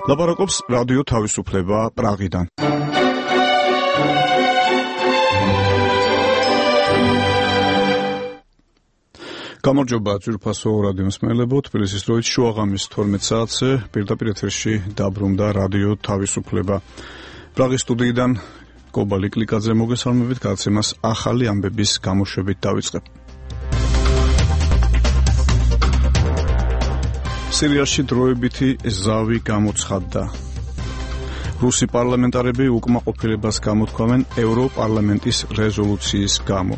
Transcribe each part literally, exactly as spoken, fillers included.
ლაპარაკობს რადიო თავისუფლება პრაღიდან. გამარჯობა ძვირფასო რადიო მსმენელებო, თბილისის დროით შუაღამის თორმეტ საათზე პირდაპირ ეთერში დაბრუნდა რადიო თავისუფლება. პრაღის სტუდიიდან კობალი კლიკაძე მოგესალმებით, გადაცემას ახალი ამბების გამოშვებით დავიწყებ. სირიაში დროებითი ზავი გამოცხადდა. რუსი პარლამენტარები უკმაყოფილებას გამოთქვამენ ევროპარლამენტის რეზოლუციის გამო.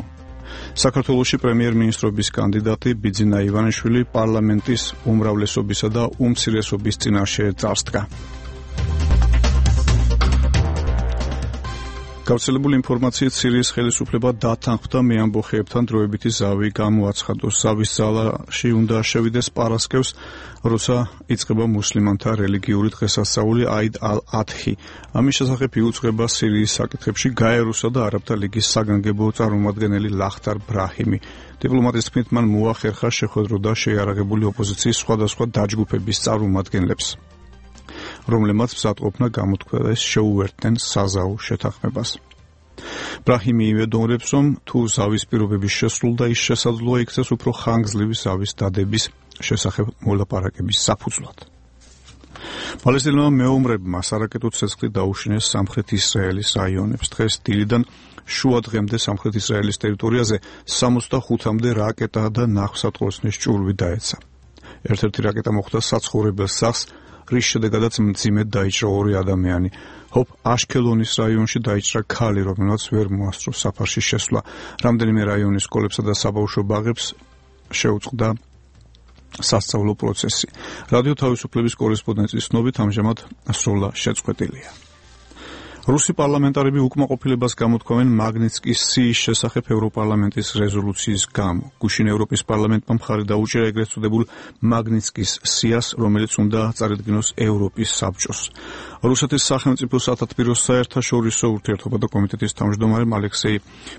საქართველოში პრემიერ-მინისტრობის კანდიდატი ბიძინა ივანიშვილი პარლამენტის უმრავლესობისა და უმცირესობის წინაშე წარსდგა. გავრცელებული ინფორმაციით სირიის ხელისუფლება დათანხმდა მეამბოხეებთან დროებითი ზავი გამოაცხადოს. ზავის ძალაში უნდა შევიდეს პარასკევს, როცა იწყება მუსლიმანთა რელიგიური დღესასწაული აიდ ალ-ადჰი. ამის შესახებ იუწყება სირიის საკითხებში გაეროსა და არაბთა ლიგის საგანგებო წარმომადგენელი ლახტარ ბრაჰიმი. დიპლომატის თქმით, მან მოახერხა შეხვედრო და შეიარაღებული ოპოზიციის სხვადასხვა დაჯგუფების წარმომადგენლებს, რომლებმაც მზადყოფნა გამოთქვეს შეუერთდნენ საზავო შეთანხმებას. ბრაჰიმი იმედოვნებს, რომ თუ ზავის პირობების შესრულდა, ის შესაძლოა იქცეს უფრო ხანგრძლივი ზავის დადების შესახებ მოლაპარაკების საფუძვლად. პალესტინელმა მეომრებმა სარაკეტო ცეცხლი დაუშინეს სამხრეთ ისრაელის რაიონებს. დღეს დილიდან შუა დღემდე სამხრეთ ისრაელის ტერიტორიაზე სამოცდახუთამდე რაკეტა და ნავსატყორცნის ჭურვი დაეცა. ერთ-ერთი რაკეტა მოხვდა საცხოვრებელ სახლს, რის შედეგადაც მძიმედ დაიჭრა ორი ადამიანი. ჰოფ აშქელონის რაიონში დაიჭრა ქალი, რომელმაც ვერ მოასწრო საფარში შესვლა. რამდენიმე რაიონის სკოლებსა და საბავშვო ბაღებს შეუწყდა სასწავლო პროცესი. რადიო თავისუფლების კორესპონდენტის ცნობით, ამჟამად სროლა შეწყვეტილია. რუსი პარლამენტარები უკმაყოფილებას გამოთქვამენ მაგნიტსკის სიის შესახებ ევროპარლამენტის რეზოლუციის გამო. გუშინ ევროპის პარლამენტმა მხარი დაუჭირა ეგრეთ წოდებულ მაგნიტსკის სიას, რომელიც უნდა წარედგინოს ევროპის საბჭოს. რუსეთის სახელმწიფო სათათბირო საერთაშორისო ურთიერთობათა კომიტეტის თავმჯდომარემ ალექსეი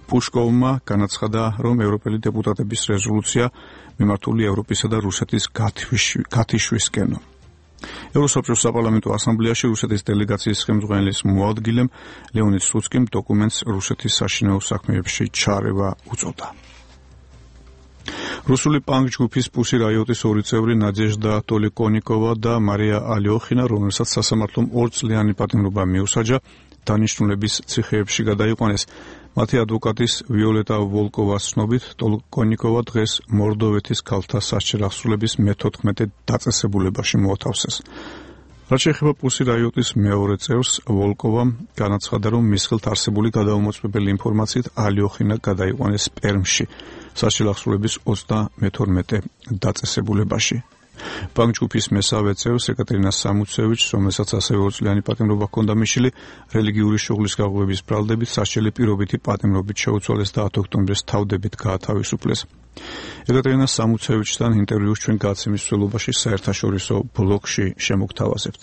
პუშკოვმა განაცხადა, რომ ევროპელი დეპუტატების რეზოლუცია მიმართული ევროპისა და რუსეთის გათიშვისკენო. ევროსაბჭოს საპარლამენტო ასამბლეაში რუსეთის დელეგაციის ხელმძღვანელის მოადგილემ ლეონიდ სლუცკიმ დოკუმენტს რუსეთის საშინაო საქმეებში ჩარევა უწოდა. რუსული პანკ ჯგუფის პუსი რაიოტის ორი წევრი ნადეჟდა ტოლიკონიკოვა და მარია ალიოხინა, რომელსაც სასამართლომ ორწლიანი პატიმრობა მიუსაჯა, დანიშნულების ციხეებში გადაიყვანეს. მათი ადვოკატის ვიოლეტა ვოლკოვას ცნობით, ტოლიკონიკოვა დღეს მორდოვეთის ქალთა სასჯელ აღსრულების მეთოთხმეტე დაწესებულებაში მოათავსეს. რაც შეეხება პუსი რაიოტის მეორე წევრს, ვოლკოვამ განაცხადა, რომ მის ხელთ არსებული გადაუმოწმებელი ინფორმაციით ალიოხინა გადაიყვანეს პერმში სასჯელ აღსრულების ოცდამეთორმეტე დაწესებულებაში. პანკ ჯგუფის მესამე წევრს ეკატერინა სამუცევიჩს, რომელსაც ასევე ორწლიანი პატიმრობა ჰქონდა მიშილი, რელიგიური შუღლის გაღვივების ბრალდებით სასჯელი პირობითი პატიმრობით შეუცვალეს და ათი ოქტომბრის თავდებით გაათავისუფლეს. ეკატერინა სამუცევიჩთან ინტერვიუს ჩვენ გადაცემის მსვლელობაში საერთაშორისო ბლოგში შემოგთავაზებთ.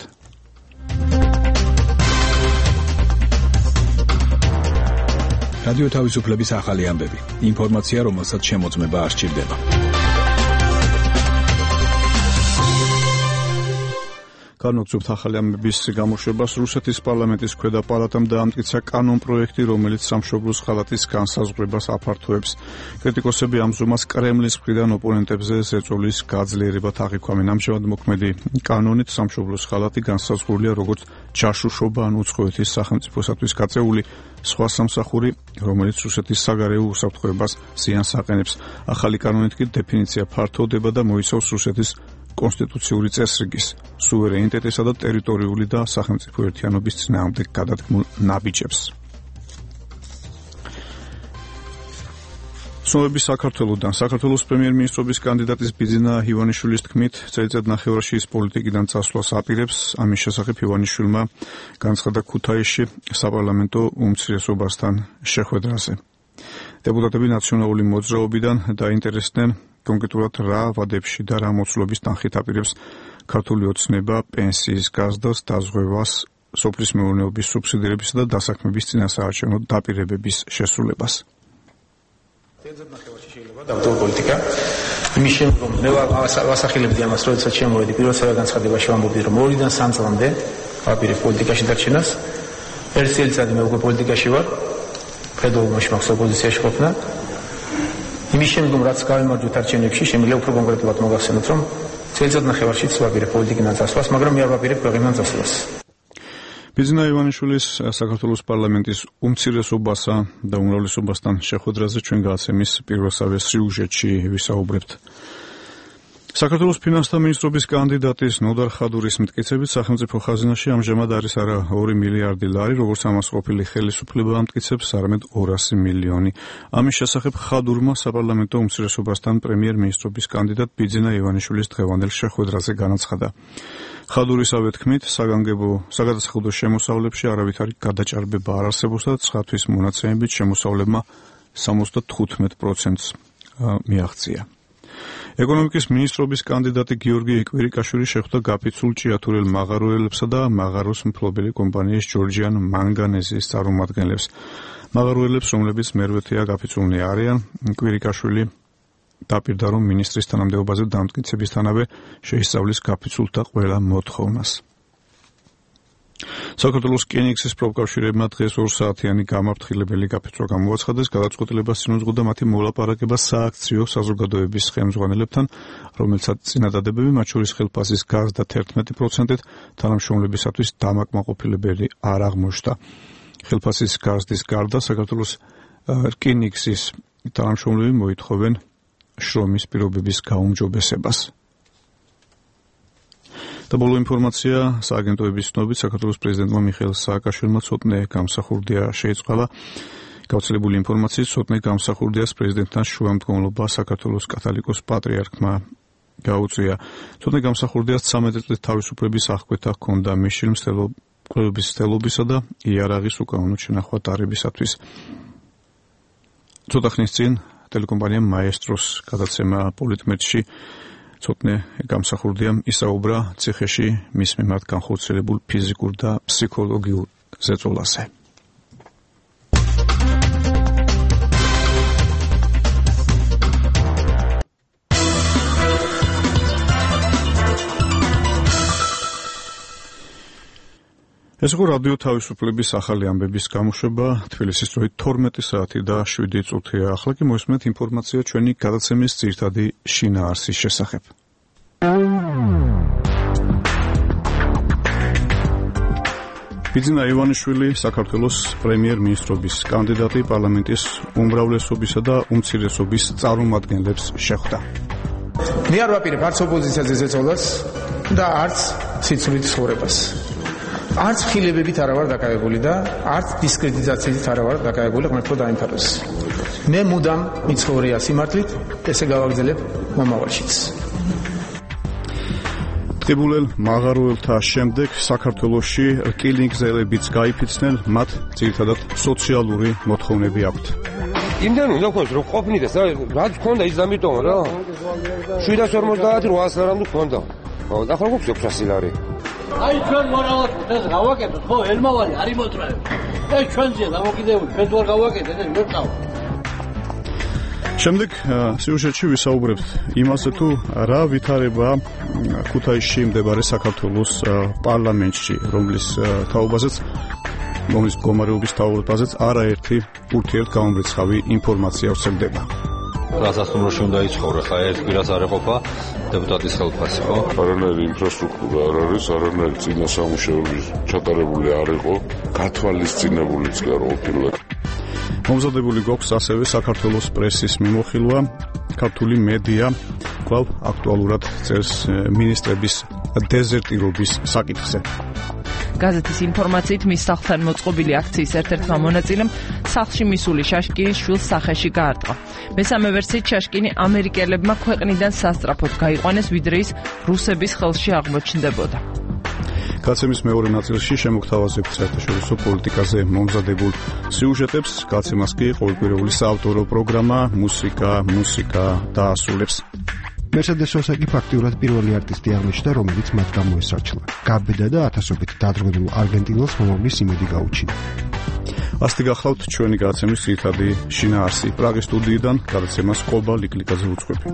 რადიო თავისუფლების ახალი ამბები. ინფორმაცია, რომელსაც შემოწმება არ სჭირდება. განვაგრძობთ ახალი ამბების გამოშვებას. რუსეთის პარლამენტის ქვედა პალატამ დაამტკიცა კანონპროექტი, რომელიც სამშობლოს ხალათის განსაზღვრებას აფართოებს. კრიტიკოსები ამ ზომას კრემლის მხრიდან ოპონენტებზე ზეწოლის გაძლიერებად აღიქვამენ. ამჟამად მოქმედი კანონით სამშობლოს ხალათი განსაზღვრულია როგორც ჯაშუშობა ან უცხოეთის სახელმწიფოსათვის გაწეული სხვა სამსახური, რომელიც რუსეთის საგარეო უსაფრთხოებას ზიანს აყენებს. ახალი კანონით კი დეფინიცია ფართოვდება და მოიცავს რუსეთის კონსტიტუციური წესრიგის, სუვერენიტეტისა და ტერიტორიული და სახელმწიფო ერთიანობის წინააღმდეგ გადადგმულ ნაბიჯებს. ცნობები საქართველოდან. საქართველოს პრემიერ-მინისტრობის კანდიდატის ბიძინა ივანიშვილის თქმით, წელიწად ნახევარში ის პოლიტიკიდან წასვლას აპირებს. ამის შესახებ ივანიშვილმა განაცხადა ქუთაისში საპარლამენტო უმცირესობასთან შეხვედრაზე. დეპუტატები ნაციონალური მოძრაობიდან დაინტერესდნენ კონკრეტულად რა ვადებში და რა მოცულობის თანხით აპირებს ქართული ოცნება პენსიის გაზრდას, დაზღვევას, სოფლის მეურნეობის სუბსიდირებისა და დასაქმების წინასაარჩევნო დაპირებების შესრულებას. თელზედ ნახევარში შეიძლება დავტოვო პოლიტიკა. იმის შემდგომ მე ვასახელებდი ამას, როდესაც შემოვედი პირველ განცხადებაში ვამბობდი, რომ ორიდან სამ წლამდე ვაპირებ პოლიტიკაში დარჩენას. ერთ წელიწადი მე უკვე პოლიტიკაში ვარ. ფედერალურში მაქვს ოპოზიციაში ყოფნა. იმის შემდგომ რაც გავიმარჯვეთ არჩევნებში, შემიძლია უფრო კონკრეტულად მოგახსენოთ, რომ წელიწად ნახევარშიც ვაპირებ პოლიტიკიდან წასვლას, მაგრამ მე არ ვაპირებ ქვეყნიდან წასვლას. ბიძინა ივანიშვილის საქართველოს პარლამენტის უმცირესობასა და უმრავლესობასთან შეხვედრაზე ჩვენ გადაცემის პირველსავე სიუჟეტში ვისაუბრებთ. საქართველოს ფინანსთა მინისტრობის კანდიდატის ნოდარ ხადურის მტკიცებით სახელმწიფო ხაზინაში ამჟამად არის არა ორი მილიარდი ლარი, როგორც ამას ყოფილი ხელისუფლება ამტკიცებს, არამედ ორასი მილიონი. ამის შესახებ ხადურმა საპარლამენტო უმცირესობასთან პრემიერ-მინისტრობის კანდიდატ ბიძინა ივანიშვილის დღევანდელ შეხვედრაზე განაცხადა. ხადურისავე თქმით, საგანგებო საგადასახადო შემოსავლებში არავითარი გადაჭარბება არ არსებობს და ცხადვის მონაცემებით შემოსავლებმა სამოცდათხუთმეტ პროცენტს მიაღწია. ეკონომიკის მინისტრობის კანდიდატი გიორგი კვირიკაშვილი შეხვდა გაფიცულ ჭიათურელ მაღაროელებსა და მაღაროს მფლობელი კომპანიის ჯორჯიან მანგანეზის წარმომადგენლებს. მაღაროელებს, რომლებიც მერვეთეა გაფიცულნი არიან, კვირიკაშვილი დაპირდა, რომ მინისტრის თანამდებობაზე დამტკიცებისთანავე შეისწავლის გაფიცულთა ყველა მოთხოვნას. საქართველოს რკინიგზის პროფკავშირებმა დღეს ორსაათიანი გამაფრთხილებელი გაფიცვა გამოაცხადეს, გადაწყვეტილებას წინუძღოდა მათი მოლაპარაკება სააქციო საზოგადოების ხელმძღვანელებთან, რომელსაც წინადადებები, მათ შორის ხელფასის გაზრდა თერთმეტი პროცენტით, თანამშრომლებისათვის დამაკმაყოფილებელი არ აღმოჩნდა. ხელფასის გაზრდის გარდა საქართველოს რკინიგზის თანამშრომლები მოითხოვენ შრომის პირობების გაუმჯობესებას. და ბოლო ინფორმაცია სააგენტოების ცნობით საქართველოს პრეზიდენტმა მიხეილ სააკაშვილმა ცოტნე გამსახურდია შეიწყალა. გავრცელებული ინფორმაციით ცოტნე გამსახურდიას პრეზიდენტთან შუამდგომლობა საქართველოს კათოლიკოს პატრიარქმა გაუწია. ცოტნე გამსახურდიას ცამეტი წლის თავისუფლების აღკვეთა ჰქონდა მისშილ მცდელობის სტელობისა და იარაღის უკანონო შენახვა დარებისათვის. ცოტა ხნის წინ ტელეკომპანია მაესტროს გადაცემა პოლიტმეტში ცოტნე გამსახურდიამ ისაუბრა ციხეში მის მიმართ განხორციელებულ ფიზიკურ და ფსიქოლოგიურ ზეწოლაზე. ეს იყო რადიო თავისუფლების ახალი ამბების გამოშვება, თბილისის დროით თორმეტი საათი და შვიდი წუთია. ახლა კი მოისმენთ ინფორმაცია ჩვენი გადაცემის ძირითადი შინაარსის შესახებ. ბიძინა ივანიშვილი საქართველოს პრემიერ-მინისტრობის კანდიდატი პარლამენტის უმრავლესობისა და უმცირესობის წარმომადგენლებს შეხვდა. მე არ ვაპირებ არც ოპოზიციაზე ზეწოლას და არც სიცრუით ცხოვრებას. არც ხილებებით არა ვარ დაკავებული და არც დისკრედიტაციით არა ვარ დაკავებული, ღმერთო დაიმთავროს. მე მუდამ მიცხოვრია სიმართლით, ესე გავაგრძელებ მომავალშიც. ტყიბულელ მაღაროელთა შემდეგ საქართველოში რკინიგზელებიც გაიფიცნენ, მათ ძირითადად სოციალური მოთხოვნები აქვთ. იმდენ უნდა ქონდეს რომ ყოფნიდეს, რაც ქონდა ის ამიტომ რა. შვიდას ორმოცდაათი რვაას რამე ქონდა. ხო, და ხო გვაქვს ექვსასი ლარი. აი ჩვენ მორალად ეს გავაკეთოთ, ხო, ელმავალი არ იმოწრებ. ეს ჩვენზეა დამოკიდებული, ჩვენ თუ არ გავაკეთეთ, ეს ვერ წავა. შემდეგ სიუჟეტში ვისაუბრებთ იმაზე, თუ რა ვითარება ქუთაისში მდებარე საქართველოს პარლამენტში, რომლის თაობაზეც, რომლის მდგომარეობის თაობაზეც არაერთი ურთიერთგამომრიცხავი ინფორმაცია ვრცელდება. გასასტუმროში უნდა იცხოვრე, ხა ერთ კვირას არ ეყოფა დეპუტატის ხელფასი, ხო? არანაირი ინფრასტრუქტურა არ არის, არანაირი წინასამუშაოები ჩატარებული არ იყო, გათვალისწინებულიც კი არ ყოფილა. მომზადებული გვაქვს ასევე საქართველოს პრესის მიმოხილვა, ქართული მედია კვლავ აქტუალურად წერს მინისტრების დეზერტირობის საკითხზე. გაზეთის ინფორმაციით მის სახლთან მოწყობილი აქციის ერთ-ერთმა მონაწილემ სახლში მისული შაშკინის შვილს სახეში გაარტყა. მესამე ვერსიით შაშკინი ამერიკელებმა ქვეყნიდან სასწრაფოდ გაიყვანეს, ვიდრე ის რუსების ხელში აღმოჩნდებოდა. გაცემის მეორე ნაწილში შემოგთავაზებთ საერთაშორისო პოლიტიკაზე მომზადებულ სიუჟეტებს, გაცემას კი ყოველკვირეული საავტორო პროგრამა მუსიკა, მუსიკა დაასრულებს. მერსედეს სოსაკი ფაქტიურად პირველი არტისტი აღმოჩნდა, რომელიც მათ გამოესარჩლა. გაბედა და ათასობით დადროვილ არგენტინელს მომავლის იმედი გაუჩინა. ასეთი გახლავთ ჩვენი გადაცემის ძირითადი შინაარსი. პრაღის სტუდიიდან გადაცემას ყობა ლიკლიკაძე უძღვები.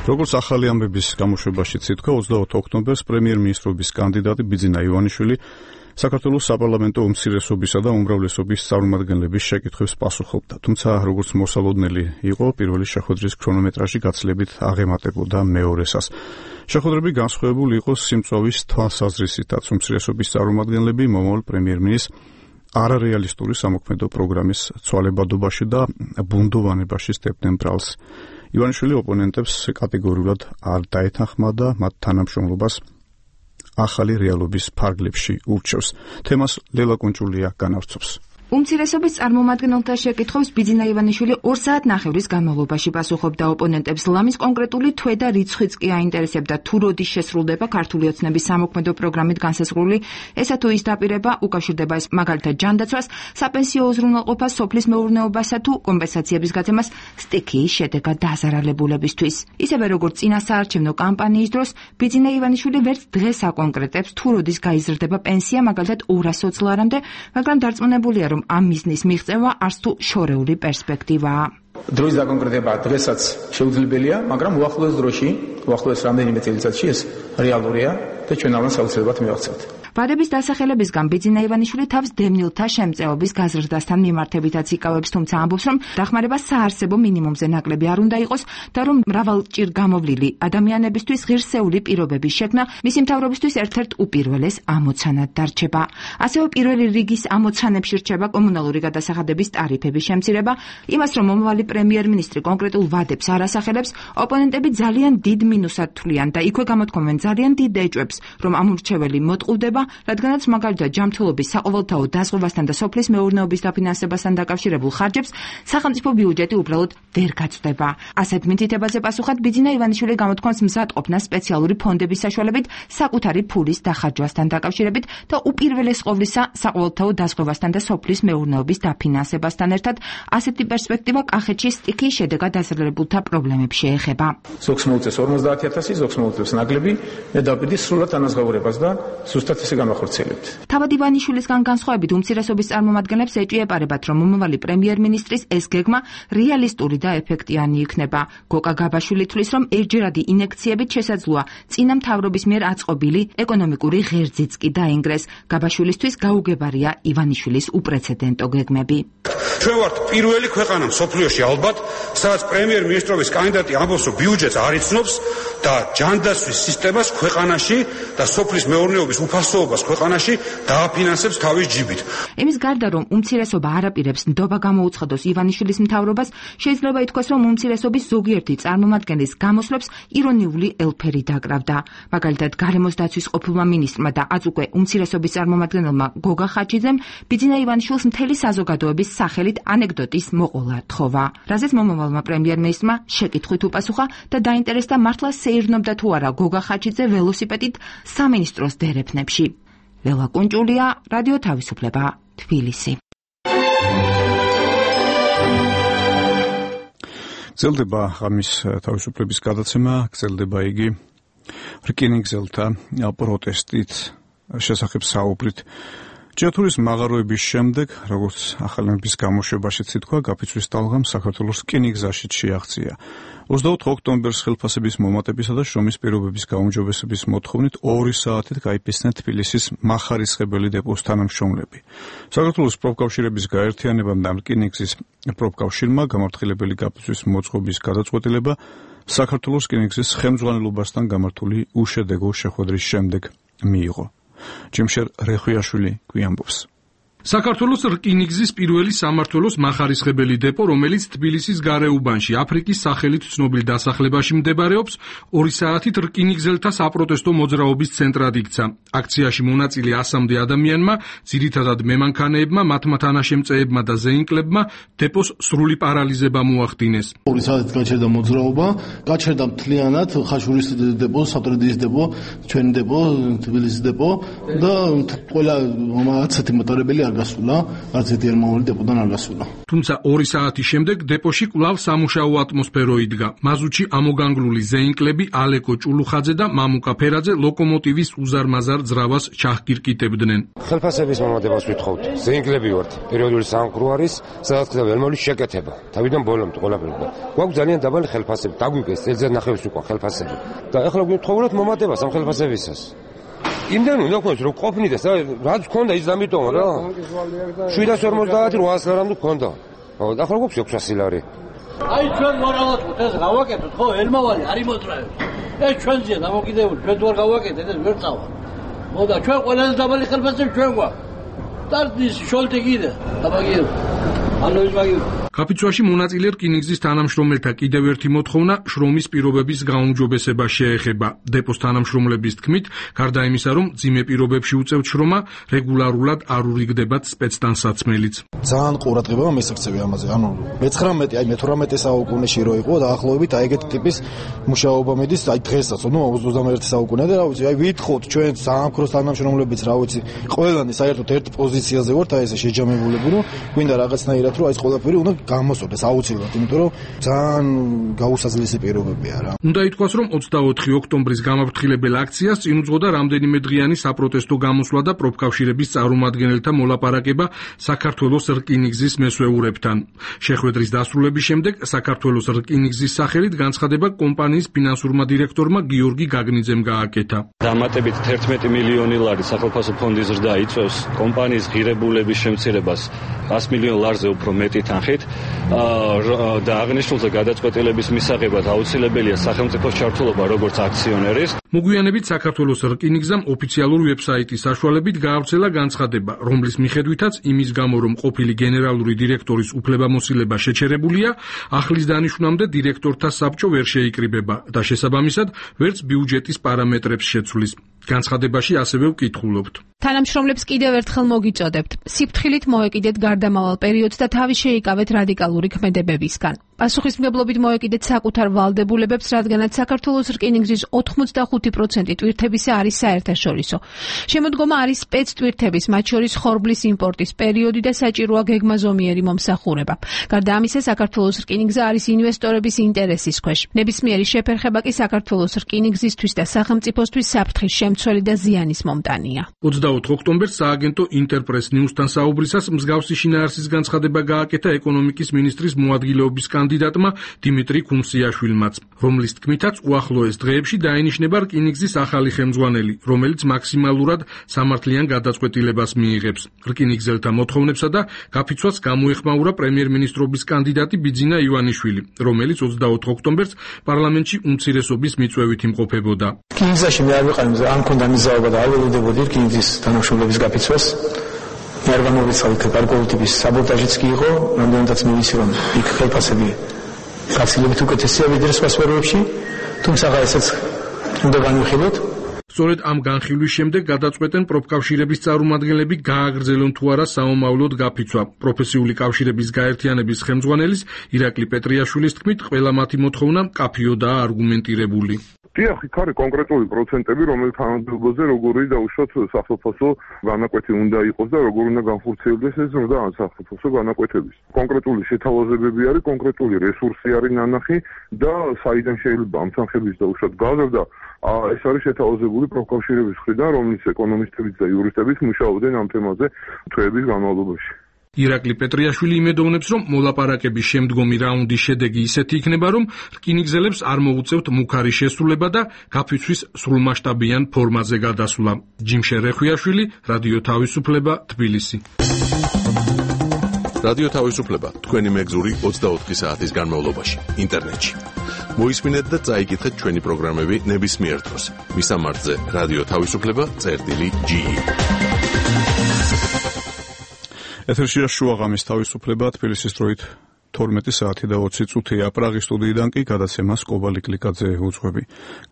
როგორც ახალი ამბების გამოშვებაშიც ითქვა, ოცდაოთხ ოქტომბერს პრემიერ-მინისტრობის კანდიდატი ბიძინა ივანიშვილი საქართველოს საპარლამენტო უმცირესობისა და უმრავლესობის წარმომადგენლების შეკითხვებს პასუხობდა. თუმცა, როგორც მოსალოდნელი იყო, პირველი შეხვედრის ქრონომეტრაჟი გაცილებით აღემატებოდა მეორესას. შეხვედრები განსხვავებული იყო სიმწვავის თვალსაზრისითაც. უმცირესობის წარმომადგენლები მომავალ პრემიერ-მინისტრს არარეალისტური სამოქმედო პროგრამის ცვალებადობაში და ბუნდოვანებაში სდებდნენ ბრალს. ივანიშვილი ოპონენტებს კატეგორიულად არ დაეთანხმდა მათ თანამშრომლობას ახალი რეალობის ფარგლებში ურჩევს. თემას ლელა კუნჭულია განავრცობს. უმცირესობის წარმომადგენელთა შეკითხვებს ბიძინა ივანიშვილი ორ საათნახევრის განმავლობაში პასუხობდა ოპონენტებს. ლამის კონკრეტული თვე და რიცხვიც კი აინტერესებდა, თუ როდის შესრულდება ქართული ოცნების სამოქმედო პროგრამით განსაზღვრული, ესა თუ ის დაპირება უკავშირდება ეს მაგალითად ჯანდაცვას, საპენსიო უზრუნველყოფას, სოფლის მეურნეობასა თუ კომპენსაციების გაცემას სტიქიის შედეგად დაზარალებულებისთვის. ისევე როგორც წინა საარჩევნო კამპანიის დროს, ბიძინა ივანიშვილი ვერც დღეს აკონკრეტებს, თუ როდის გაიზრდება პენსია მაგალითად ორასოც ლარამდე, მაგრამ დარწმუნებულია, რომ ამ მიზნის მიღწევა არც თუ შორეული პერსპექტივაა. დროის დაკონკრეტება დღესაც შეუძლებელია, მაგრამ უახლოეს დროში, უახლოეს რამდენიმე წელიწადში ეს რეალურია და ჩვენ ამას აუცილებლად მივახცევთ. ბადების დასახელებისგან ბიძინა ივანიშვილი თავს დევნილთა შემწეობის გაზრდასთან მიმართებითაც იკავებს, თუმცა ამბობს, რომ დახმარება საარსებო მინიმუმზე ნაკლები არ უნდა იყოს და რომ მრავალჭირ გამოვლილი ადამიანებისთვის ღირსეული პირობების შექმნა მისი მთავრობისთვის ერთ-ერთ უპირველეს ამოცანად დარჩება. ასევე პირველი რიგის ამოცანებში რჩება კომუნალური გადასახადების ტარიფების შემცირება, იმას რომ მომავალი პრემიერ-მინისტრი კონკრეტულ ვადებს არ ასახელებს, ოპონენტები ძალიან დიდ მინუსად თვლიან და იქვე გამოთქვამენ ძალიან დიდ ეჭვებს, რომ ამ ურჩეველი მოტყუდება, რადგანაც მაგალითად ჯანმრთელობის საყოველთაო დაზღვევასთან და სოფლის მეურნეობის დაფინანსებასთან დაკავშირებულ ხარჯებს სახელმწიფო ბიუჯეტი უბრალოდ ვერ გაწვდება. ასეთ მითითებაზე პასუხად ბიძინა ივანიშვილი გამოთქვამს მზადყოფნას სპეციალური ფონდების საშუალებით საკუთარი ფულის დახარჯვასთან დაკავშირებით და უპირველეს ყოვლისა საყოველთაო დაზღვევასთან და სოფლის მეურნეობის დაფინანსებასთან ერთად ასეთი პერსპექტივა კახეთში სტიქიის შედეგად დაზარალებულთა პრობლემებს შეეხება. ზოგს მოუწევს ორმოცდაათი ათასი, ზოგს მოუწევს ნაკლები, მე დავყიდი სრულად ანაზღაურებას და ზუსტად ესე განახორციელებთ. თავად ივანიშვილისგან განსხვავებით უმცირესობის წარმომადგენლებს ეჭვიეპარებათ, რომ მომავალი პრემიერ-მინისტრის ეს გეგმა რეალისტური და ეფექტიანი იქნება. გოკა გაბაშვილი თვლის, რომ ერთჯერადი ინექციებით შესაძლოა წინა მთავრობის მიერ აწყობილი ეკონომიკური ღერძიც კი დაინგრეს. გაბაშვილისთვის გაუგებარია ივანიშვილის უპრეცედენტო გეგმები. ჩვენ ვართ პირველი ქვეყანა მსოფლიოში ალბათ, სადაც პრემიერ-მინისტრობის კანდიდატი ამბობს, რომ ბიუჯეტს არ იცნობს და ჯანდაცვის სისტემას ქვეყანაში და სოფლის მეურნეობის უფასოობას ქვეყანაში დააფინანსებს თავის ჯიბით. იმის გარდა, რომ უმცირესობა არაპირებს ნდობა გამოუცხადოს ივანიშვილის მთავრობას, შეიძლება ითქვას, რომ უმცირესობის ზოგიერთი წარმომადგენლის გამოსვლებს ირონიული ელფერი დაკრავდა. მაგალითად, გარემოს დაცვის ყოფილმა მინისტრმა და აწ უკვე უმცირესობის წარმომადგენელმა გოგა ხაჩიძემ ბიძინა ივანიშვილს მთელი საზოგადოების სახელით ანეკდოტის მოყოლა თხოვა. რაზეც მომავალმა პრემიერ-მინისტრმა შეკითხვით უპასუხა და დაინტერესდა მართლა სეირნობდა თუ არა გოგა ხაჩიძე ველოსიპედით სამინისტროს დერეფნებში. ლელა კუნჭულია, რადიო თავისუფლება, თბილისი. გრძელდება ღამის თავისუფლების გადაცემა, გრძელდება იგი რკინიგზელთა პროტესტით შესახებ საუბრით. ჯეთურის მაღაროების შემდეგ, როგორც ახალი ამბების გამოშვებაშიც ითქვა, გაფიცვის ტალღამ საქართველოს რკინიგზაშიც შეაღწია. ოცდაოთხ ოქტომბერს ხელფასების მომატებისა და შრომის პირობების გაუმჯობესების მოთხოვნით ორი საათით გაიფიცნენ თბილისის მახარისხებელი დეპოს თანამშრომლები. საქართველოს პროფკავშირების გაერთიანებამ და რკინიგზის პროფკავშირმა გამართლებელი გაფიცვის მოწყობის გადაწყვეტილება საქართველოს რკინიგზის ხელმძღვანელობასთან გამართული უშედეგო შეხვედრის შემდეგ მიიღო. ჯიმშერ რეხვიაშვილი გვიამბობს. საქართველოს რკინიგზის პირველი სამმართველოს მახარისხებელი დეპო, რომელიც თბილისის გარეუბანში აფრიკის სახელით ცნობილ დასახლებაში მდებარეობს, ორი საათით რკინიგზელთა საპროტესტო მოძრაობის ცენტრად იქცა. აქციაში მონაწილე ასამდე ადამიანმა, ძირითადად მემანქანეებმა, მათმა თანაშემწეებმა და ზეინკლებმა დეპოს სრული პარალიზება მოახდინეს. ორი საათით გაჩერდა მოძრაობა, გაჩერდა მთლიანად ხაშურის დეპო, საფრთხის დეპო, ჩვენი დეპო, თბილისის დეპო და ყველა ასეთი მოტარებელი არ გასულა, არც ერთი ერმოვანი დეპოდან არ გასულა. თუმცა ორი საათის შემდეგ დეპოში კვლავ სამუშაო ატმოსფერო იდგა. მაზუთში ამოგანგლული ზეინკლები ალეკო ჭულუხაძე და მამუკა ფერაძე ლოკომოტივის უზარმაზარ ძრავას ჩახკირკიტებდნენ. ხელფასების მომადებას ვითხოვთ. ზეინკლები ვართ. პერიოდული სამყარო არის, სადაც ხდება ელმოლის შეკეთება. თავიდან ბოლომდე ყველაფერი. გვაქვს ძალიან დაბალი ხელფასები. დაგვიგეს წელზე ნახევრის უკვე ხელფასები. და ახლა გვითხოვნოთ მომადებას ამ ხელფასებისას. იმდენ უნდა გქონდეს რომ ყოფნიდეს რა რაც გქონდა ის ამიტომ რა შვიდას ორმოცდაათი რვაას ლარამდე გქონდა ხო და ახლა გვაქვს ექვსასი ლარი აი ჩვენ მორალად ეს გავაკეთოთ ხო ელმავალი არ იმოძრავებს ეს ჩვენზეა დამოკიდებული ჩვენ თუ არ გავაკეთეთ ეს ვერ წავა მოდა ჩვენ ყველაზე დაბალი ხელფასები ჩვენ გვაქვს დარდის შოლტი კიდე დაბაგიო ანუ ის მაგიო კაპიცუაში მონაწილე რკინიგზის თანამშრომელთა კიდევ ერთი მოთხოვნა შრომის პირობების გაუმჯობესება შეეხება. დეპოს თანამშრომლების თქმით, გარდა იმისა, რომ ძიმე პირობებში უწევთ შრომა, რეგულარულად არ ურიგდებათ სპეცტანსაცმელიც. ძალიან ყურადღება მისაქცევი ამაზე. ანუ მეცხრამეტე, აი მეთვრამეტე საუკუნეში რო იყო დაახლოებით აი ეგეთი ტიპის მუშაობა მიდის, აი დღესაც, ნუ ოცდამეერთე საუკუნე და რა ვიცი, აი ვითხოვთ ჩვენ საამქროს თანამშრომლებიც, რა ვიცი, ყველანი საერთოდ ერთ პოზიციაზე ვართ, აი ესე შეჯამებულები, რომ გვინდა რაღაცნაირად რომ აი ეს ყველაფერი უნდა გამოსწორდეს აუცილებლად, იმიტომ რომ ძალიან გაუსაძლესი პირობებია რა. უნდა ითქვას, რომ ოცდაოთხი ოქტომბრის გამაფრთხილებელ აქციას წინ უძღოდა რამდენიმე დღიანი საპროტესტო გამოსვლა და პროფკავშირების წარმომადგენელთა მოლაპარაკება საქართველოს რკინიგზის მესვეურებთან. შეხვედრის დასრულების შემდეგ საქართველოს რკინიგზის სახელით განცხადება კომპანიის ფინანსურმა დირექტორმა გიორგი გაგნიძემ გააკეთა. დამატებით თერთმეტი მილიონი ლარი სახელმწიფო ფონდის ზრდა იწვევს კომპანიის ღირებულების შემცირებას ას მილიონ ლარზე უფრო მეტი თანხით და აღნიშნულზე გადაწყვეტილების მისაღებად აუცილებელია სახელმწიფოს ჩართულობა როგორც აქციონერის. მოგვიანებით საქართველოს რკინიგზამ ოფიციალური ვებსაიტის საშუალებით გაავრცელა განცხადება, რომლის მიხედვითაც იმის გამო, რომ ყოფილი გენერალური დირექტორის უფლებამოსილება შეჩერებულია, ახლის დანიშვნამდე დირექტორთა საბჭო ვერ შეიკრიბება და შესაბამისად ვერც ბიუჯეტის პარამეტრებს შეცვლის. განცხადებაში ასევე ვკითხულობთ. თანამშრომლებს კიდევ ერთხელ მოგიწოდებთ. სიფრთხილით მოეკიდეთ გარდამავალ პერიოდს და თავი შეიკავეთ რადიკალური ქმედებებისგან. პასუხისმგებლობით მოეკიდეთ საკუთარ ვალდებულებებს, რადგანაც საქართველოს რკინიგზის ოთხმოცდახუთი პროცენტი ტვირთებისა არის საერთაშორისო. შემოდგომა არის სპეცტვირთების, მათ შორის ხორბლის იმპორტის პერიოდი და საჭიროა გეგმაზომიერი მომსახურება. გარდა ამისა, საქართველოს რკინიგზა არის ინვესტორების ინტერესის ქვეშ. ნებისმიერი შეფერხება კი საქართველოს რკინიგზისთვის და სახელმწიფოსთვის საფრთხის შემცველი და ზიანის მომტანია. ოცდაოთხ ოქტომბერს სააგენტო ინტერპრეს ნიუსთან საუბრისას მსგავსი შინაარსის განცხადება გააკეთა ეკონომიკის მინისტრის მოადგილეობის კანდიდატმა დიმიტრი კუნსიაშვილმაც, რომლის თქმითაც უახლოეს დღეებში დაინიშნება რკინიგზის ახალი ხელმძღვანელი, რომელიც მაქსიმალურად სამართლიან გადაწყვეტილებას მიიღებს. რკინიგზელთა მოთხოვნებსა და გაფიცვას გამოეხმაურა პრემიერ-მინისტრობის კანდიდატი ბიძინა ივანიშვილი, რომელიც ოცდაოთხ ოქტომბერს პარლამენტში უმცირესობის მიწვევით იმყოფებოდა. რკინიგზაში მე არ ვიყავი, არ მქონდა მიზაობა და არ ველოდებოდი რკინიგზის თანამშრომლების გაფიცვას. მე არ გამოვიცავით გარკვეული ტიპის საბოტაჟიც კი იყო, რამდენადაც მივიცი რომ იქ ხელფასები გაცილებით უკეთესია ვიდრე სხვა სფეროებში, თუმცა ესეც უნდა განვიხილოთ. სწორედ ამ განხილვის შემდეგ გადაწყვეტენ პროფკავშირების წარმომადგენლები გააგრძელონ თუ არა საომავლოდ გაფიცვა. პროფესიული კავშირების გაერთიანების ხელმძღვანელის ირაკლი პეტრიაშვილის თქმით, ყველა მათი მოთხოვნა მკაფიოდაა არგუმენტირებული. დიახ, იქ არის კონკრეტული პროცენტები, რომელიც თანამდებობაზე როგორი დაუშვათ სახელმწიფო განაკვეთი უნდა იყოს და როგორ უნდა განხორციელდეს ეს ზრდა სახელმწიფო განაკვეთების. კონკრეტული შეთავაზებები არის, კონკრეტული რესურსი არის ნანახი და საიდან შეიძლება ამ თანხების დაუშვათ გაზრდა, ეს არის შეთავაზებული პროფკავშირების მხრიდან, რომლის ეკონომისტებიც და იურისტებიც მუშაობდნენ ამ თემაზე თვეების განმავლობაში. ირაკლი პეტრიაშვილი იმედოვნებს, რომ მოლაპარაკების შემდგომი რაუნდის შედეგი ისეთი იქნება, რომ რკინიგზელებს არ მოუწევთ მუქარი შესრულება და გაფიცვის სრულმასშტაბიან ფორმაზე გადასვლა. ჯიმშე რეხვიაშვილი, რადიო თავისუფლება, თბილისი. რადიო თავისუფლება თქვენი მეგზური ოცდაოთხი საათის განმავლობაში ინტერნეტში. მოისმინეთ და წაიკითხეთ ჩვენი პროგრამები ნებისმიერ დროს. მისამართზე რადიო თავისუფლება წერტილი ჯი ი. ეთერშია შუაღამის თავისუფლება თბილისის დროით თორმეტი საათი და ოცი წუთია. პრაღის სტუდიიდან კი გადაცემას კობალი კლიკაძე უძღვები.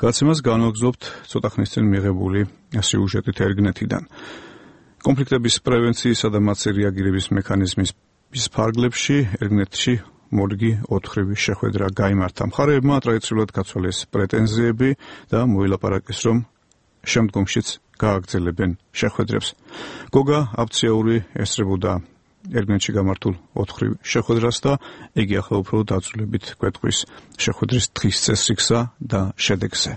გადაცემას განვაგრძობთ ცოტა ხნის წინ მიღებული სიუჟეტით ერგნეთიდან. კონფლიქტების პრევენციისა და მათზე რეაგირების მექანიზმის ფარგლებში ერგნეთში მორგი ოთხრივი შეხვედრა გაიმართა. მხარეებმა ტრადიციულად გაცვალეს პრეტენზიები და მოილაპარაკეს, რომ შემდგომშიც გააგრძელებენ შეხვედრებს. გოგა აფციური ესწრებოდა ერთმანეთში გამართულ ოთხრივ შეხვედრას და იგი ახლა უფრო დაწვრილებით გვეტყვის შეხვედრის დღის წესრიგსა და შედეგზე.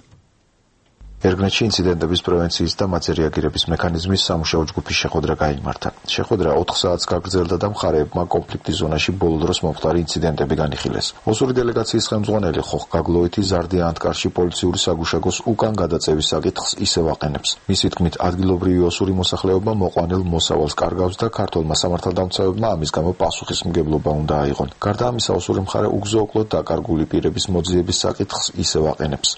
ერგნეთში ინციდენტების პრევენციის და მათზე რეაგირების მექანიზმის სამუშაო ჯგუფის შეხვედრა გაიმართა. შეხვედრა ოთხ საათს გაგრძელდა და მხარეებმა კონფლიქტის ზონაში ბოლო დროს მომხდარი ინციდენტები განიხილეს. ოსური დელეგაციის ხელმძღვანელი ხოხ გაგლოეთი ზარდია ანტკარში პოლიციური საგუშაგოს უკან გადაწევის საკითხს ისევ აყენებს. მისი თქმით, ადგილობრივი ოსური მოსახლეობა მოყვანილ მოსავალს კარგავს და ქართველმა სამართალდამცავებმა ამის გამო პასუხისმგებლობა უნდა აიღონ. გარდა ამისა, ოსური მხარე უგზო-უკლოდ დაკარგული პირების მოძიების საკითხს ისევ აყენებს.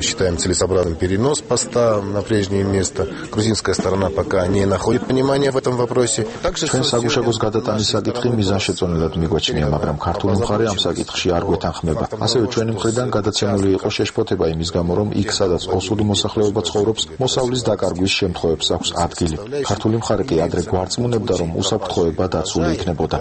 Считаем целесообразным перенос поста на прежнее место. Грузинская сторона пока не находит понимания в этом вопросе. Также ჩვენ საგუშაგოს გადატანის საკითხი მიზანშეწონილად მიგვაჩნია, მაგრამ ქართული მხარე ამ საკითხში არ გვეთანხმება. ასევე ჩვენი მხრიდან გადაცემული იყო შეშფოთება იმის გამო, რომ იქ, სადაც ოსური მოსახლეობა ცხოვრობს, მოსავლის დაკარგვის შემთხვევებს აქვს ადგილი. ქართული მხარე კი ადრე გვარწმუნებდა, რომ უსაფრთხოება დაცული იქნებოდა.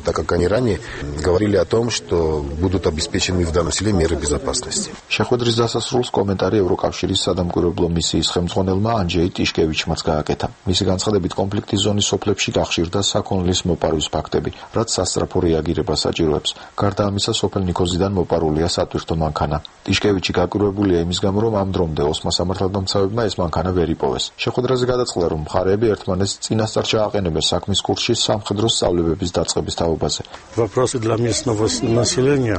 Так как они ранее говорили о том, что будут обеспечены в данном селе меры безопасности. შეხვედრის დასასრულს კომენტარი ევროკავშირის სადამკვირვებლო მისიის ხელმძღვანელმა ანჯეი ტიშკევიჩმაც გააკეთა. მისი განცხადებით, კონფლიქტის ზონის სოფლებში გახშირდა საქონლის მოპარვის ფაქტები, რაც სასწრაფო რეაგირებას საჭიროებს. გარდა ამისა, სოფელ ნიქოზიდან მოპარულია სატვირთო მანქანა. ტიშკევიჩი გაკვირვებულია იმის გამო, რომ ამ დრომდე ოსმა სამართალდამცავებმა ეს მანქანა ვერ იპოვეს. შეხვედრაზე გადაწყდა, რომ მხარეები ერთმანეთს წინასწარ ჩააყენებენ საქმის კურსში სამხედრო სწავლებების დაწყების თაობაზე. Вопросы для местного населения,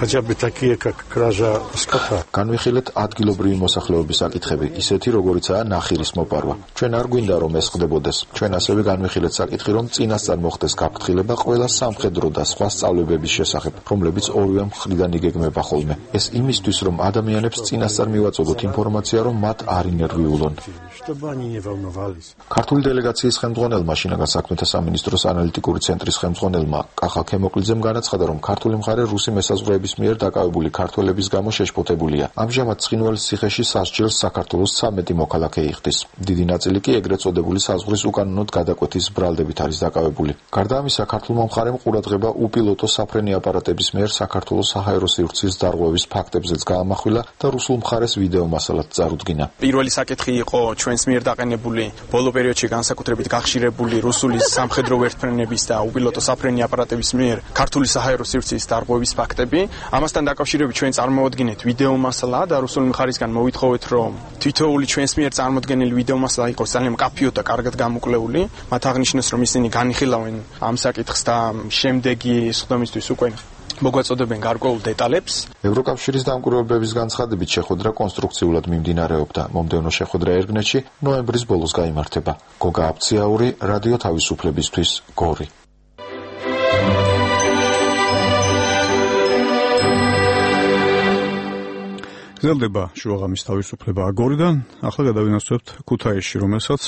хотя бы такие, как кража скота. განვიხილეთ ადგილობრივი მოსახლეობის საკითხები, ისეთი როგორიცაა ნახირის მოპარვა. ჩვენ არ გვინდა რომ ეს ხდებოდეს. ჩვენ ასევე განვიხილეთ საკითხი, რომ წინასწარ მოხდეს გაფრთხილება ყველა სამხედრო და სხვა სწავლებების შესახებ, რომლებიც ორივე მხრიდან იგეგმება ხოლმე. ეს იმისთვის, რომ ადამიანებს წინასწარ მივაწოდოთ ინფორმაცია, რომ მათ არ ინერვიულონ. ქართული დელეგაციის ხელმძღვანელმა, შინაგან საქმეთა სამინისტროს ანალიტიკური ცენტრის ხელმძღვანელმა კახა ქემოკლიძემ განაცხადა, რომ ქართული მხარე რუსი მესაზღვრეების მიერ დაკავებული ქართველების გამო შეშფოთებულია. ამჟამად ცხინვალის ციხეში სასჯელს საქართველოს ცამეტი მოქალაქე იხდის. დიდი ნაწილი კი ეგრეთ წოდებული საზღვრის უკანონოდ გადაკვეთის ბრალდებით არის დაკავებული. გარდა ამისა, ქართულმა მხარემ ყურადღება უპილოტო საფრენი აპარატების მიერ საქართველოს საჰაერო სივრცის დარღვევის ფაქტებზეც გაამახვილა და რუსულ მხარეს ვიდეო მასალად წარუდგინა. პირველი საკითხი იყო ჩვენს მიერ დაყენებული ბოლო პერიოდში განსაკუთრებით გახშირებული რუსული სამხედრო ვერტმფრენების და უპილოტო საფრენი აპარატების მიერ ქართული საჰაერო სივრცის დარღვევის ფაქტები. ამასთან დაკავშირებით ჩვენ წარმოვადგინეთ ვიდეო მასალა და რუსული მხარისგან მოვითხოვეთ, რომ თითოეული ჩვენს მიერ წარმოდგენილი ვიდეო მასალა იყოს ძალიან მკაფიო და კარგად გამოკვლეული. მათ აღნიშნეს, რომ ისინი განიხილავენ ამ საკითხს და შემდეგი სხდომისთვის უკვე მოგვაწოდებენ გარკვეულ დეტალებს. ევროკავშირის დამკვირვებლების განცხადებით, შეხვედრა კონსტრუქციულად მიმდინარეობდა. მომდევნო შეხვედრა ერგნეთში ნოემბრის ბოლოს გაიმართება. გოგა აფციაური, რადიო თავისუფლებისთვის, გორი. გრძელდება შუაღამის თავისუფლება აგორიდან. ახლა გადავინაცვლებთ ქუთაისში, რომელსაც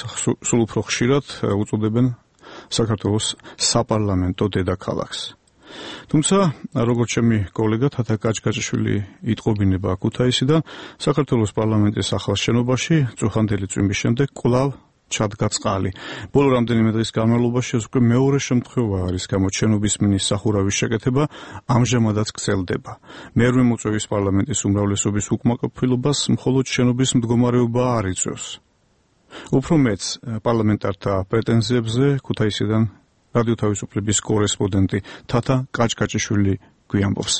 სულ უფრო ხშირად უწოდებენ საქართველოს საპარლამენტო დედაქალაქს. თუმცა, როგორც ჩემი კოლეგა თათა კაჭკაჭიშვილი იტყობინება ქუთაისიდან, საქართველოს პარლამენტის ახალ შენობაში წუხანდელი წვიმის შემდეგ კვლავ ჩადგა წყალი. ბოლო რამდენიმე დღის განმავლობაში ეს უკვე მეორე შემთხვევა არის, გამოჩენობის მინის სახურავის შეკეთება ამჟამადაც გრძელდება. მერვე მოწვევის პარლამენტის უმრავლესობის უკმაყოფილებას მხოლოდ შენობის მდგომარეობა არ იწვევს. უფრო მეც პარლამენტართა პრეტენზიებზე ქუთაისიდან რადიო თავისუფლების კორესპონდენტი თათა კაჭკაჭიშვილი გვიამბობს.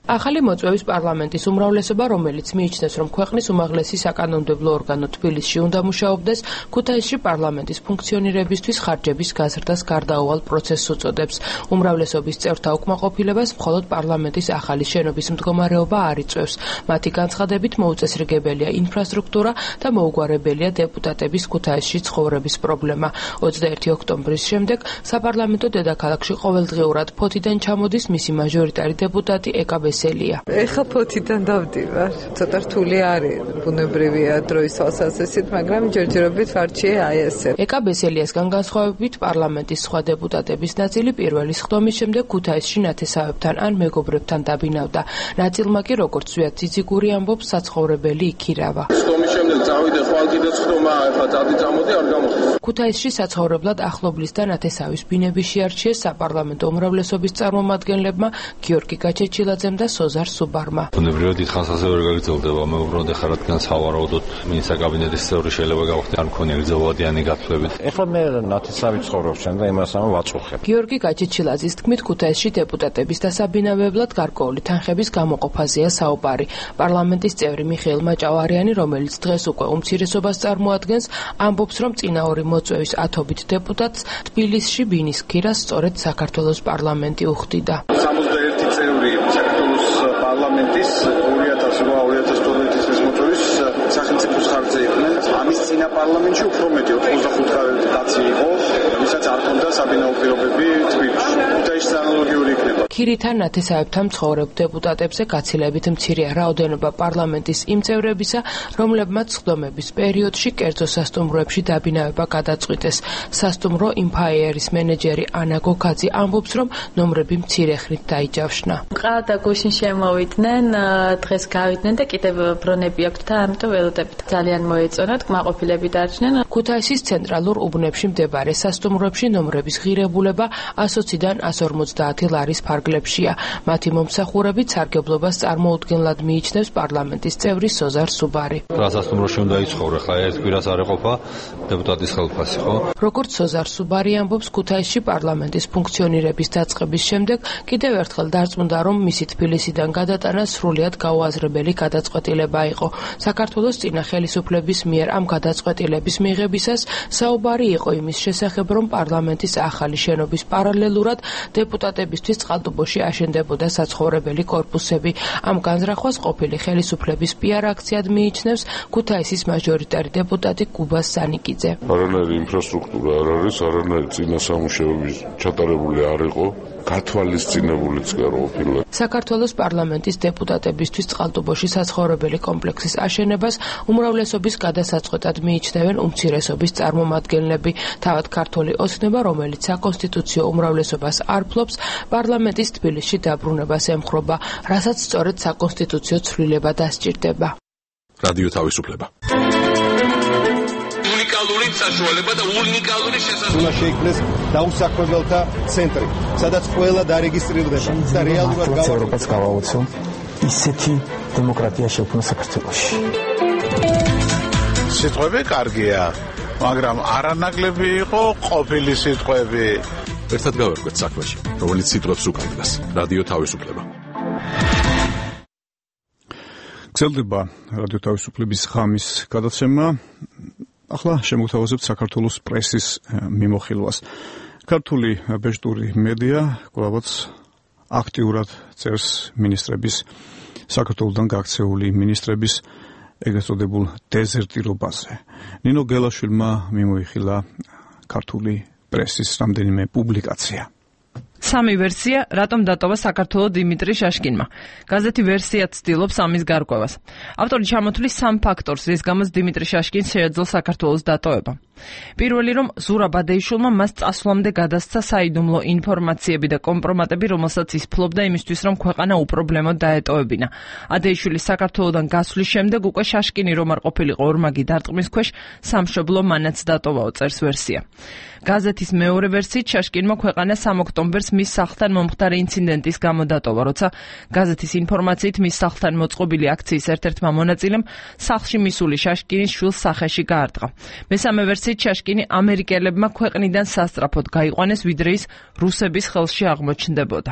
ახალი მოწვევის პარლამენტის უმრავლესობა, რომელიც მიიჩნევს, რომ ქვეყნის უმაღლესი საკანონმდებლო ორგანო თბილისში უნდა მუშაობდეს, ქუთაისში პარლამენტის ფუნქციონირებისთვის ხარჯების გაზრდას გარდაუვალ პროცესს უწოდებს. უმრავლესობის წევრთა უკმაყოფილებას მხოლოდ პარლამენტის ახალი შენობის მდგომარეობა არ იწვევს. მათი განცხადებით, მოუწესრიგებელია ინფრასტრუქტურა და მოუგვარებელია დეპუტატების ქუთაისში ცხოვრების პრობლემა. ოცდაერთი ოქტომბრის შემდეგ საპარლამენტო დედაქალაქში ყოველდღიურად ფოთიდან ჩამოდის მისი მაჟორიტარი დეპუტატი ეკა ბესელია. ეხლა ფოთიდან დავდივარ. ცოტა რთული არის, ბუნებრივია დროის თვალსაზრისით, მაგრამ ჯერჯერობით ვარჩიე აი ესე. ეკა ბესელიასგან განსხვავებით, პარლამენტის სხვა დეპუტატების ნაწილი პირველი სხდომის შემდეგ ქუთაისში ნათესავებთან ან მეგობრებთან დაბინავდა. ნაწილმა კი, როგორც ზვიად ციციგური ამბობს, საცხოვრებელი იქირავა. სხდომის შემდეგ წავიდე ხვალკიდეცხრომა ახლა წადი წამოდი არ გამოხდა. ქუთაისში საცხოვრებლად ახლობლის და ნათესავის ბინები შეარჩიეს საპარლამენტო უმრავლესობის წარმომადგენლებმა გიორგი გაჩეჩილაძემ და სოზარ სუბარმა. ბუნებრივად დიდ ხანს ასე ვერ გაგრძელდება, მე უბრალოდ ახლა რადგან სავარაუდოდ მინისტრთა კაბინეტის წევრი შეიძლება გავხდე, არ მქონია გრძელვადიანი გათვლებით. ეხლა მე ნათესავით ცხოვრობ შენ და იმას ამ ვაწუხებ. გიორგი გაჩეჩილაძის თქმით, ქუთაისში დეპუტატების დასაბინავებლად გარკვეული თანხების გამოყოფაზეა საუბარი. პარლამენტის წევრი მიხეილ მაჭავარიანი, რომელიც დღეს უკვე უმცირესობას წარმოადგენს, ამბობს, რომ წინა ორი მოწვევის ათობით დეპუტატს თბილისში ბინის ქირას სწორედ საქართველოს პარლამენტი უხდიდა. სამოცდაერთი წევრი საქართველოს პარლამენტის ორი ათას რვა ორი ათას თორმეტი წლის მოწვევის სახელმწიფოს ხარჯზე იყვნენ. ამის წინა პარლამენტში უფრო მეტი ოცდახუთი კაცი იყო, ვისაც არ ჰქონდა საბინაო პირობები თბილისში. ქუთაისში ანალოგიური იქნება. ქირითან ნათესავებთან მცხოვრებ დეპუტატებზე გაცილებით მცირეა რაოდენობა პარლამენტის იმ წევრებისა, რომლებმაც სხდომების პერიოდში კერძო სასტუმროებში დაბინავება გადაწყვიტეს. სასტუმრო იმფაიერის მენეჯერი ანა გოგაძე ამბობს, რომ ნომრები მცირე ხნით დაიჯავშნა. ყავდა გუშინ შემოვიდნენ, დღეს გავიდნენ და კიდევ ბრონები აქვთ და ამიტომ ველოდებით. ძალიან მოეწონათ, კმაყოფილები დარჩნენ. ქუთაისის ცენტრალურ უბნებში მდებარე სასტუმროებში ნომრების ღირებულება ასოციდან ას ორმოცდაათი ლარის ფარგლებშია. მათი მომსახურებით სარგებლობას წარმოუდგენლად მიიჩნევს პარლამენტის წევრი სოზარ სუბარი. რა სასტუმროში უნდა იცხოვრო, ხა ერთ კვირას არ ეყოფა დეპუტატის ხელფასი, ხო? როგორც სოზარ სუბარი ამბობს, ქუთაისში პარლამენტის ფუნქციონირების დაწყების შემდეგ კიდევ ერთხელ დარწმუნდა, რომ მისი თბილისიდან გადატანა სრულიად გაუაზრებელი გადაწყვეტილება იყო. საქართველოს წინა ხელისუფლების მიერ ამ გადაწყვეტილების მიღებისას საუბარი იყო იმის შესახებ, რომ პარლამენტის ახალი შენობის პარალელურად დეპუტატებისთვის წყალტუბოში აშენდებოდა საცხოვრებელი კორპუსები. ამ განზრახვას ყოფილი ხელისუფლების პიარ აქციად მიიჩნევს ქუთაისის მაჟორიტარი დეპუტატი კუბას სანიკიძე. არანაირი ინფრასტრუქტურა არ არის, არანაირი წინა სამუშაოების ჩატარებული არ იყო, გათვალისწინებულიც კი არ ყოფილა. საქართველოს პარლამენტის დეპუტატებისთვის წყალტუბოში საცხოვრებელი კომპლექსის აშენებას უმრავლესობის გადასაწყვეტად მიიჩნევენ უმცირესობის წარმომადგენლები. თავად ქართული ოცნება, რომელიც საკონსტიტუციო უმრავლესობას არ ფლობს, პარლამენტის თბილისში დაბრუნებას ემხრობა, რასაც სწორედ საკონსტიტუციო ცვლილება დასჭირდება. რადიო თავისუფლება. უნიკალური საშუალება და უნიკალური შესაძლებლობა. უნდა შეიქმნეს დაუსაქმებელთა ცენტრი, სადაც ყველა დარეგისტრირდება და რეალურად გავაუწყოთ გავაუწყო ისეთი დემოკრატია შექმნა საქართველოში. სიტყვები კარგია, მაგრამ არანაკლები იყო ყოფილი სიტყვები. ერთად გავერკვეთ საქმეში, რომელიც სიტყვებს უკავშირდება. რადიო თავისუფლება. გრძელდება რადიო თავისუფლების ღამის გადაცემა. ახლა შემოგთავაზებთ საქართველოს პრესის მიმოხილვას. ქართული ბეჭდური მედია კვლავაც აქტიურად წერს მინისტრების, საქართველოსთან გაქცეული მინისტრების ეგრეთ წოდებულ დეზერტირობაზე. ნინო გელაშვილმა მიმოიხილა ქართული პრესის რამდენიმე პუბლიკაცია. სამი ვერსია, რატომ დატოვა საქართველოს დიმიტრი შაშკინმა. გაზეთი ვერსიად ცდილობს ამის გარკვევას. ავტორი ჩამოთვლის სამ ფაქტორს, რის გამოც დიმიტრი შაშკინს შეეძლო საქართველოს დატოვება. პირველი, რომ ზურაბ ადეიშვილმა მას წასვლამდე გადასცა საიდუმლო ინფორმაციები და კომპრომატები, რომელსაც ის ფლობდა იმისთვის, რომ ქვეყანა უპრობლემოდ დაეტოვებინა. ადეიშვილის საქართველოსთან გასვლის შემდეგ უკვე შაშკინი რომ არ ყოფილიყო ორმაგი დარტყმის ქვეშ, სამშობლო მანაც დატოვაო, წერს ვერსია. გაზეთის მეორე ვერსიით შაშკინმა ქვეყანა სამ ოქტომბერს მის სახლთან მომხდარი ინციდენტის გამო დატოვა, როცა გაზეთის ინფორმაციით მის სახლთან მოწყობილი აქციის ერთ-ერთმა მონაწილემ სახლში მისული შაშკინის შვილს სახეში გაარტყა. მესამე ვერსიით შაშკინი ამერიკელებმა ქვეყნიდან სასწრაფოდ გაიყვანეს, ვიდრე ის რუსების ხელში აღმოჩნდებოდა.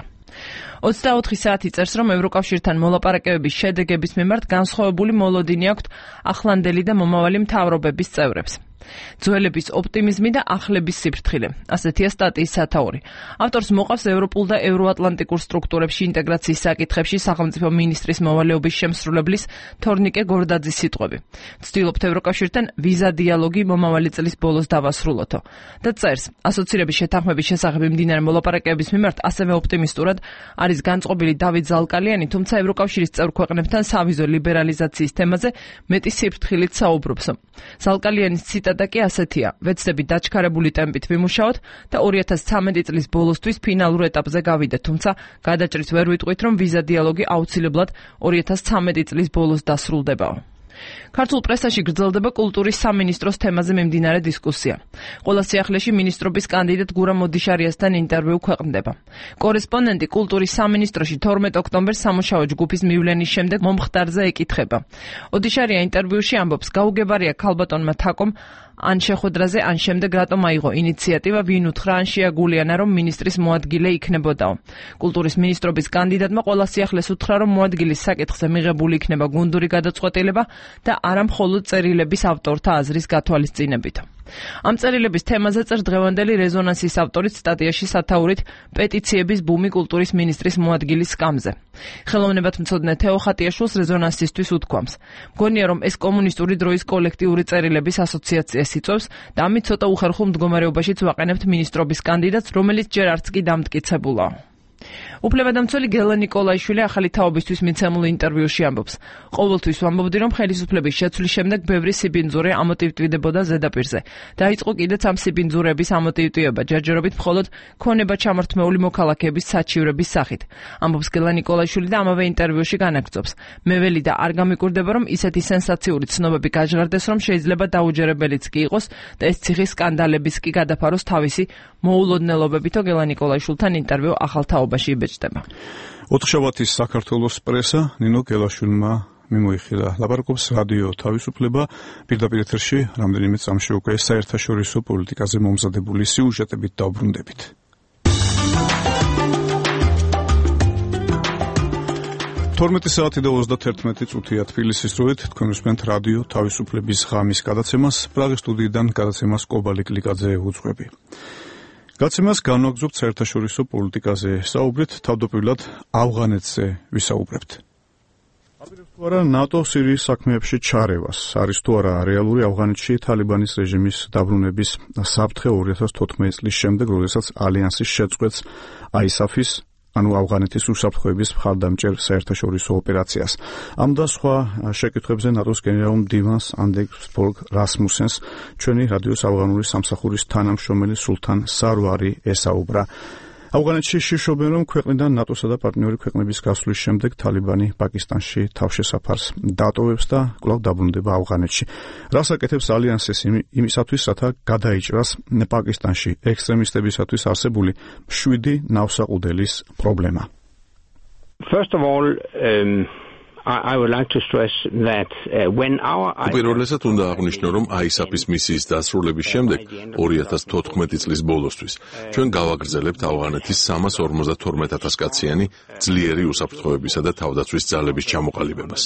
ოცდაოთხი საათი წერს, რომ ევროკავშირთან მოლაპარაკებების შედეგების მიმართ განსხვავებული მოლოდინი აქვთ ახლანდელი და მომავალი მთავრობების წევრებს. ძველების ოპტიმიზმი და ახლების სიფრთხილე. ასეთია სტატიის სათაური. ავტორს მოყავს ევროპულ და ევროატლანტიკურ სტრუქტურებში ინტეგრაციის საკითხებში სახელმწიფო მინისტრის მოვალეობის შემსრულებლის თორნიკე გორდაძის სიტყვები. ვცდილობთ ევროკავშირთან ვიზა დიალოგი მომავალი წლის ბოლოს დავასრულოთო. და წერს, ასოცირების შეთანხმების შესახებ მიმდინარე მოლაპარაკებების მიმართ ასევე ოპტიმისტურად არის განწყობილი დავით ზალკალიანი, თუმცა ევროკავშირის წევრ ქვეყნებთან სავიზო ლიბერალიზაციის თემაზე მეტი სიფრთხილით საუბრობს. ზალკალიანის ციტატა და კი ასეთია: ვეცდები დაჩქარებული ტემპით ვიმუშაოთ და ორი ათას ცხრამეტი წლის ბოლოსთვის ფინალურ ეტაპზე გავიდეთ, თუმცა გადაჭრით ვერ ვიტყვით, რომ ვიზა დიალოგი აუცილებლად ორი ათას ცხრამეტი წლის ბოლოს დასრულდებაო. ქართულ პრესაში გრძელდება კულტურის სამინისტროს თემაზე მიმდინარე დისკუსია. ყველა სიახლეში მინისტრობის კანდიდატ გურამ ოდიშარიასთან ინტერვიუ ქვეყნდება. კორესპონდენტი კულტურის სამინისტროში თორმეტ ოქტომბერს სამუშაო ჯგუფის მივლენის შემდეგ მომხდარზე ეკითხება. ოდიშარია ინტერვიუში ამბობს, გაუგებარია ქალბატონმა თაკომ ან შეხვედრაზე, ან შემდეგ რატომ აიღო ინიციატივა, ვინ უთხრა ან შეაგულიანა, რომ მინისტრის მოადგილე იქნებოდაო. კულტურის მინისტრობის კანდიდატმა ყველა სიახლეს უთხრა, რომ მოადგილის საკითხზე მიღებული იქნება გუნდური გადაწყვეტილება და არა მხოლოდ წერილების ავტორთა აზრის გათვალისწინებით. ამ წერილების თემაზე წერს დღევანდელი რეზონანსის ავტორიც სტატიაში სათაურით პეტიციების ბუმი კულტურის მინისტრის მოადგილის სკამზე. ხელოვნებათმცოდნე თეო ხატიაშვილს რეზონანსისთვის უთქვამს. მგონია, რომ ეს კომუნისტური დროის კოლექტიური წერილების ასოციაციას იწვევს და ამით ცოტა უხერხულ მდგომარეობაშიც ვაყენებთ მინისტრობის კანდიდატს, რომელიც ჯერ არც კი დამტკიცებულა. უფლებადამცველი გელა ნიკოლაიშვილი ახალი თაობისთვის მიცემულ ინტერვიუში ამბობს. ყოველთვის ვამბობდი, რომ ხელისუფლების შეცვლის შემდეგ ბევრი სიბინძურე ამოტივტვიდებოდა ზედაპირზე. დაიწყო კიდეც ამ სიბინძურების ამოტივტვიება, ჯერჯერობით მხოლოდ ქონება ჩამორთმეული მოქალაქეების საჩივრების სახით. ამბობს გელა ნიკოლაიშვილი და ამავე ინტერვიუში განაგრძობს. მე ველი და არ გამიკვირდება, რომ ისეთი სენსაციური ცნობები გაჟღერდეს, რომ შეიძლება დაუჯერებელიც კი იყოს და ეს ციხის სკანდალებიც კი გადაფაროს თავისი მოულოდნელობებითო გელა ნიკოლაიშვილთან ინტერვიუ ახალ თაობაში იბეჭდება. ოთხშაბათის საქართველოს პრესა ნინო გელაშვილმა მიმოიხილა. ლაპარაკობს რადიო თავისუფლება, პირდაპირ ეთერში რამდენიმე წამში უკვე საერთაშორისო პოლიტიკაზე მომზადებული სიუჟეტებით დავბრუნდებით. თორმეტი საათი და ოცდათერთმეტი წუთია თბილისის დროით, თქვენ უსმენთ რადიო თავისუფლების ღამის გადაცემას, პრაღის სტუდიიდან გადაცემას კობალიკ ლიკაძე უძღვები. გადაცემას განვაგრძობთ საერთაშორისო პოლიტიკაზე, საუბრით თავდაპირველად ავღანეთზე ვისაუბრებთ. აპირებს თუ არა ნატო სირიის საქმეებში ჩარევას, არის თუ არა რეალური ავღანეთში თალიბანის რეჟიმის დაბრუნების საფრთხე ორი ათას თოთხმეტი წლის შემდეგ, როდესაც ალიანსის შეწყვეტს აისაფის, ანუ ავღანეთის უსაფრთხოების მხარდამჭერ საერთაშორისო ოპერაციას. ამ და სხვა შეკითხვებზე ნატოს გენერალურ მდივანს ანდერს ფოლკ რასმუსენს ჩვენი რადიოს ავღანური სამსახურის თანამშრომელი სულთან სარვარი ესაუბრა. ავღანეთში შიშობენ, რომ ქვეყნიდან ნატოსა და პარტნიორი ქვეყნების გასვლის შემდეგ თალიბანი პაკისტანში თავშესაფარს დატოვებს და კვლავ დაბრუნდება ავღანეთში. რას აკეთებს ალიანსის იმისათვის, რათა გადაიჭრას პაკისტანში ექსტრემისტებისათვის არსებული შვიდი ნავსაყუდელის პრობლემა. First of all, um... I would like to stress that uh, when our უპირველესად უნდა აღვნიშნო, რომ აისაფის მისიის დასრულების შემდეგ ორი ათას თოთხმეტი წლის ბოლოსთვის ჩვენ გავაგრძელებთ ავღანეთის სამას ორმოცდათორმეტ ათას კაციანი ძლიერი უსაფრთხოებისა და თავდაცვის ძალების ჩამოყალიბებას.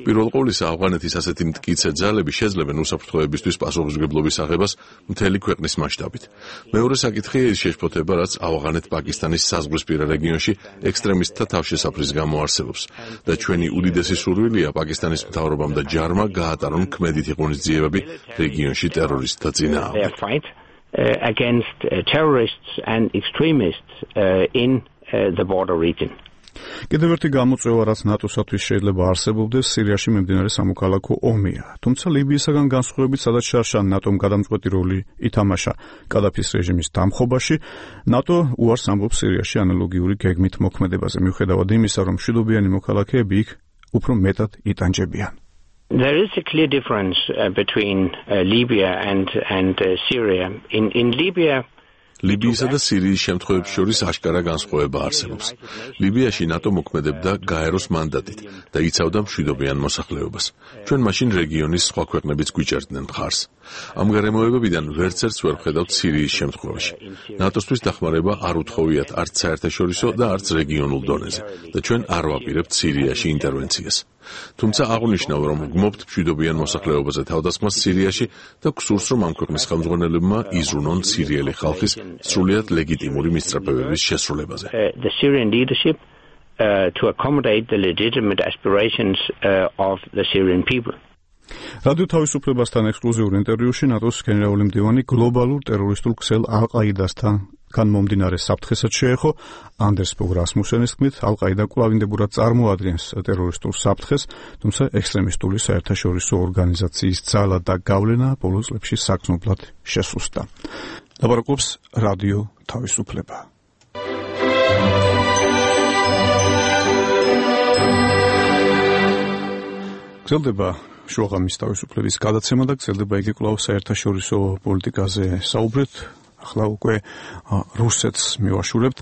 პირველ ყოვლისა, ავღანეთის ასეთი მტკიცე ძალები შეძლებენ უსაფრთხოებისთვის პასუხისმგებლობის აღებას მთელი ქვეყნის მასშტაბით. მეორე საკითხია ის შეშფოთება, რაც ავღანეთ-პაკისტანის საზღვრისპირა რეგიონში ექსტრემისტთა თავშესაფრის გამო არსებობს და ჩვენი უდიდესი სურვილია პაკისტანის მთავრობამ და ჯარმა გაატარონ ქმედითი ღონისძიებები რეგიონში ტერორისტთა წინააღმდეგ. against terrorists and extremists in the border region. კიდევ ერთი გამოწვევა, რაც ნატოსათვის შეიძლება არსებობდეს, სირიაში მიმდინარე სამოქალაქო ომია. თუმცა ლიბიისაგან განსხვავებით, სადაც შარშან ნატომ გადამწყვეტი როლი ითამაშა კადაფის რეჟიმის დამხობაში, ნატო უარს ამბობს სირიაში ანალოგიური გეგმით მოქმედებაზე, მიუხედავად იმისა, რომ მშვიდობიანი მოქალაქეები იქ უფრო მეტად იტანჯებიან. There is a clear difference uh, between uh, Libya and and uh, Syria. In in Libya ლიბიისა და სირიის შემთხვევებს შორის აშკარა განსხვავება არსებობს. ლიბიაში ნატო მოქმედებდა გაეროს მანდატით და იცავდა მშვიდობიან მოსახლეობას. ჩვენ მაშინ რეგიონის სხვა ქვეყნებიც გვიჭერდნენ მხარს. ამ გარემოებებიდან ვერცერთს ვერ ვხედავთ სირიის შემთხვევაში. ნატოსთვის დახმარება არ უთხოვიათ არც საერთაშორისო და არც რეგიონულ დონეზე და ჩვენ არ ვაპირებთ სირიაში ინტერვენციას. თუმცა აღნიშნავ, რომ გმობთ მშვიდობიან მოსახლეობაზე თავდასხმას სირიაში და გსურს, რომ ამ ქვეყნის ხელმძღვანელებმა იზრუნონ სირიელი ხალხის სრულიად ლეგიტიმური მისწრაფებების შესრულებაზე. The Syrian leadership uh, to accommodate the legitimate aspirations uh, of the Syrian people. რადიო თავისუფლებასთან ექსკლუზიურ ინტერვიუში ნატოს გენერალური მდივანი გლობალურ ტერორისტულ ქსელ ალ-ყაიდასთან განმომდინარე საფრთხესაც შეეხო. ანდერს ფოლკ რასმუსენის თქმით, ალ-ყაიდა კვლავინდებურად წარმოადგენს ტერორისტულ საფრთხეს, თუმცა ექსტრემისტული საერთაშორისო ორგანიზაციის ძალა და გავლენა ბოლო წლებში საგრძნობლად შესუსტა. ლაპარაკობს რადიო თავისუფლება. გრძელდება შუაღამის თავისუფლების გადაცემა და გრძელდება იგი კვლავ საერთაშორისო პოლიტიკაზე საუბრეთ. ახლა უკვე რუსეთს მივაშურებთ.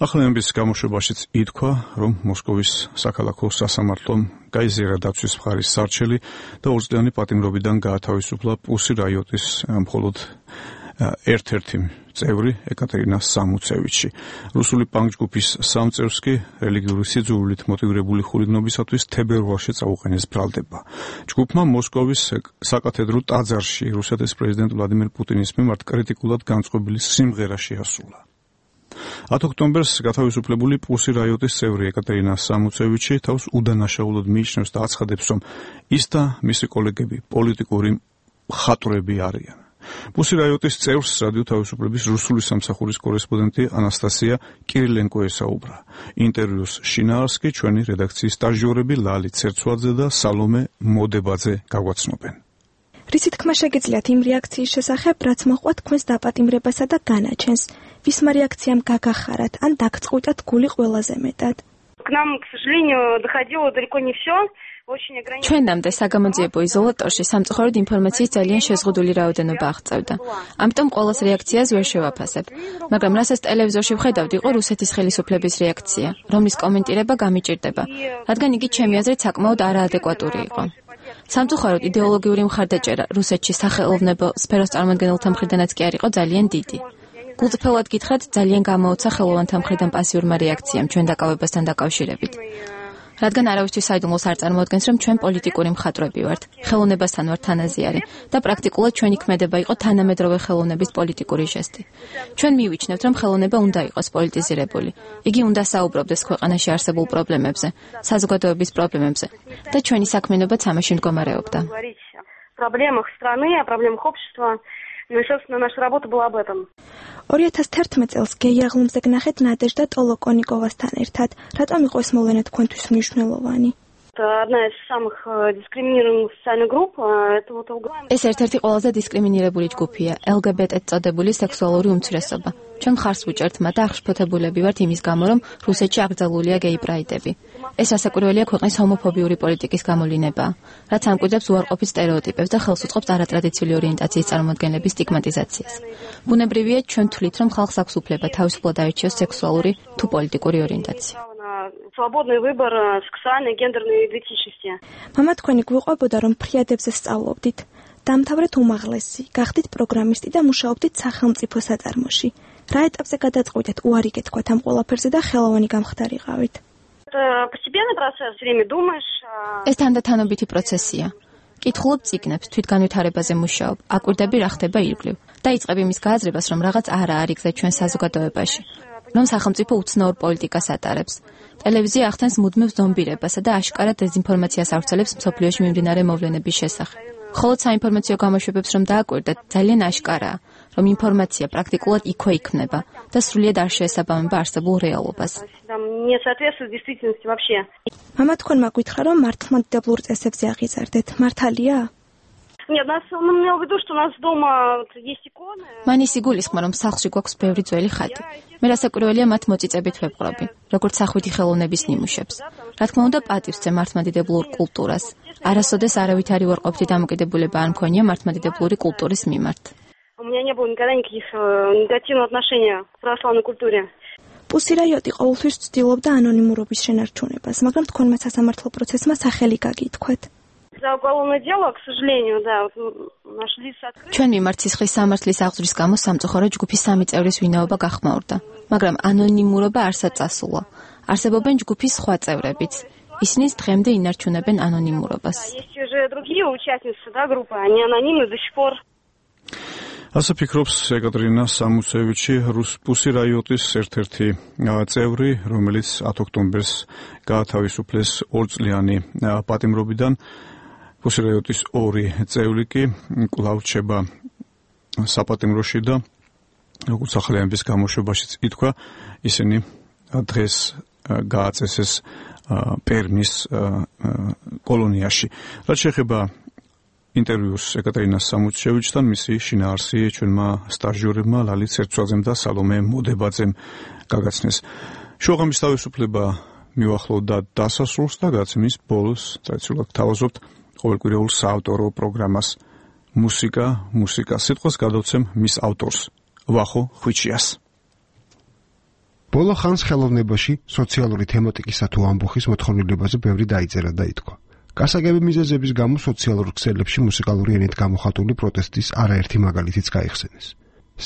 ახალების გამოშვებაშიც ითქვა, რომ მოსკოვის საქალაქო სასამართლომ გაიზიარა დაცვის მხარის სარჩელი და ორწლიანი პატიმრობიდან გაათავისუფლა პუსი რაიოტის მხოლოდ ერთ-ერთი წევრი ეკატერინა სამუცევიჩი. რუსული პანკ-ჯგუფის სამ წევრს კი რელიგიური სიძულვილით მოტივირებული ხულიგნობისათვის თებერვალში წაუყენეს ბრალდება. ჯგუფმა მოსკოვის საკათედრო ტაძარში რუსეთის პრეზიდენტ ვლადიმერ პუტინის მიმართ კრიტიკულად განწყობილი სიმღერა შეასრულა. ათ ოქტომბერს გათავისუფლებული პუსი რაიოტის წევრი ეკატერინა სამუცევიჩი თავს უდანაშაულოდ მიიჩნევს და აცხადებს, რომ ის და მისი კოლეგები პოლიტიკური მხატვრები არიან. პუსი რაიოტის წევრს რადიო თავისუფლების რუსული სამსახურის კორესპონდენტი ანასტასია კირილენკო ესაუბრა. ინტერვიუს შინაარს კი ჩვენი რედაქციის სტაჟიორები ლალი ცერცვაძე და სალომე მოდებაძე გაგვაცნობენ. რისი თქმა შეგიძლიათ იმ რეაქციის შესახებ, რაც მოჰყვა თქვენს დაპატიმრებასა და განაჩენს? ვისმა რეაქციამ გაგახარათ ან დაგწყვიტათ გული ყველაზე მეტად? К нам, к сожалению, доходило далеко не все. ჩვენამდე საგამოძიებო იზოლატორში სამწუხაროდ ინფორმაციის ძალიან შეზღუდული რაოდენობა აღწევდა. ამიტომ ყოველს რეაქციას ვერ შევაფასებ. მაგრამ რასაც ტელევიზორში ვხედავდი, იყო რუსეთის ხელისუფლების რეაქცია, რომლის კომენტირება გამიჭირდება, რადგან იგი ჩემი აზრით საკმაოდ არაადეკვატური იყო. სამწუხაროდ იდეოლოგიური მხარდაჭერა რუსეთში სახელოვნებო სფეროს წარმომადგენელთა მხრიდანაც კი არ იყო ძალიან დიდი. გულწრფელად გითხრათ, ძალიან გამოუცა ხელოვანთა მხრიდან პასიურმა რეაქციამ ჩვენ დაკავებასთან დაკავშირებით. რადგან არავისთვის საიდუმლოს არ წარმოადგენს, რომ ჩვენ პოლიტიკური მხატვრები ვართ, ხელოვნებასთან ვართ თანაზიარი და პრაქტიკულად ჩვენი ქმედება იყო თანამედროვე ხელოვნების პოლიტიკური ჟესტი. ჩვენ მივიჩნევთ, რომ ხელოვნება უნდა იყოს პოლიტიზირებული. იგი უნდა საუბრობდეს ქვეყანაში არსებულ პრობლემებზე, საზოგადოების პრობლემებზე და ჩვენი საქმიანობაც ამაში მდგომარეობდა. Проблемах страны, о проблемах общества. Ну, собственно, наша работа была об этом. ორი ათას თერთმეტ წელს გეი აღლუმზე გნახეთ ნადეჟდა ტოლოკონიკოვასთან ერთად. რატომ იყო ეს მოვლენა თქვენთვის მნიშვნელოვანი? Это одна из самых дискриминированных социальных групп. Это вот ეს ერთ-ერთი ყველაზე დისკრიმინირებული ჯგუფია, ელ გი ბი ტი წოდებული სექსუალური უმცირესობა. ჩვენ მხარს ვუჭერთ მათ და აღშფოთებულები ვართ იმის გამო, რომ რუსეთში აკრძალულია გეი პრაიდები. ეს ასაკურველია ქვეყნის ჰომოფობიური პოლიტიკის გამოვლინებაა, რაც ამკვიდრებს უარყოფით სტერეოტიპებს და ხელს უწყობს არატრადიციული ორიენტაციის წარმოადგენლების სტიგმატიზაციას. ბუნებრივია, ჩვენ თვლით, რომ ხალხს აქვს უფლება თავისუფლად აირჩიოს სექსუალური თუ პოლიტიკური ორიენტაცია. Свободный выбор сексуальной гендерной идентичности. მამა თქვენი გვიყვებოდა, რომ ფრიადებზე სწავლობდით. დამთავრეთ უმაღლესი, გახდით პროგრამისტი და მუშაობდით სახელმწიფო საწარმოში. რა ეტაპზე გადაწყვიტეთ უარი გეთქვათ ამ ყველაფერზე და ხელოვანი გამხდარიყავით? Постепенный процесс, все время думаешь. ეს თანდათანობითი პროცესია. კითხულობ წიგნებს, თვითგანვითარებაზე მუშაობ, აკვირდები რა ხდება ირგვლივ. დაიწყებ იმის გააზრებას, რომ რაღაც არა არის გზა ჩვენ საზოგადოებაში, რომ სახელმწიფო უცნაურ პოლიტიკას ატარებს. ტელევიზია ახდენს მუდმივ ზომბირებასა და აშკარად დეზინფორმაციას ავრცელებს მსოფლიოში მიმდინარე მოვლენების შესახებ. ხოლო საინფორმაციო გამოშვებებს რომ დააკვირდეთ, ძალიან აშკარაა, რომ ინფორმაცია პრაქტიკულად იქვე იქმნება და სრულიად არ შეესაბამება არსებულ რეალობას. Не соответствует действительности вообще. მამა თქვენმა გითხრა, რომ მართლმადიდებლურ წესებზე აღიზარდეთ. მართალია? Нет, нас он имел в виду, что у нас дома есть иконы. მან ის იგულისხმა, რომ სახლში გვაქვს ბევრი ძველი ხატი. მე რასაკვირველია მათ მოწიწებით ვეპყრობი, როგორც სახვითი ხელოვნების ნიმუშებს. რა თქმა უნდა, პატივს ვცემ მართლმადიდებლურ კულტურას. არასოდეს არავით არ ვარყოფითი დამოკიდებულება არ მქონია მართლმადიდებლური კულტურის მიმართ. У меня не было никогда никаких негативных отношений к православной культуре. პუსი რაიოტი ყოველთვის ცდილობდა ანონიმურობის შენარჩუნებას, მაგრამ თქვენმა სასამართლო პროცესმა სახელი გაგითქვათ. За уголовное дело, к сожалению, да, нашли открытие. ჩვენ მიმართ სისხლის სამართლის აღძვრის გამო სამწუხარო ჯგუფის სამი წევრის ვინაობა გახმაურდა, მაგრამ ანონიმურობა არსად წასულა. არსებობენ ჯგუფის სხვა წევრებიც. ისინი დღემდე ინარჩუნებენ ანონიმურობას. Есть уже другие участницы, да, группы, они анонимны до сих пор. ასე ფიქრობს ეკატერინა სამუცევიჩი, პუსი რაიოტის ერთ-ერთი წევრი, რომელიც ათ ოქტომბერს გაათავისუფლეს ორწლიანი პატიმრობიდან. პუსი რაიოტის ორი წევრი კი კვლავ რჩება საპატიმროში და როგორც ახალიანების გამოშვებაშიც ითქვა, ისინი დღეს გააწესეს პერმის კოლონიაში. რაც შეეხება ინტერვიუს ეკატერინა სამუცევიჩთან, მისი შინაარსი ჩვენმა სტაჟიორებმა ლალი ცერცვაძემ და სალომე მოდებაძემ გაგაცნეს. შუაღამის თავისუფლება მივახლოვდა დასასრულს და გაცემის ბოლოს ტრადიციულად გთავაზობთ ყოველკვირეულ საავტორო პროგრამას მუსიკა, მუსიკა. სიტყვას გადავცემ მის ავტორს, ვახო ხვიჩიას. ბოლო ხანს ხელოვნებაში სოციალური თემატიკისა თუ ამბოხის მოთხოვნილებაზე ბევრი დაიწერა და ითქვა. გასაგები მიზეზების გამო სოციალურ ქსელებში მუსიკალური ენით გამოხატული პროტესტის არაერთი მაგალითიც გაიხსენეს.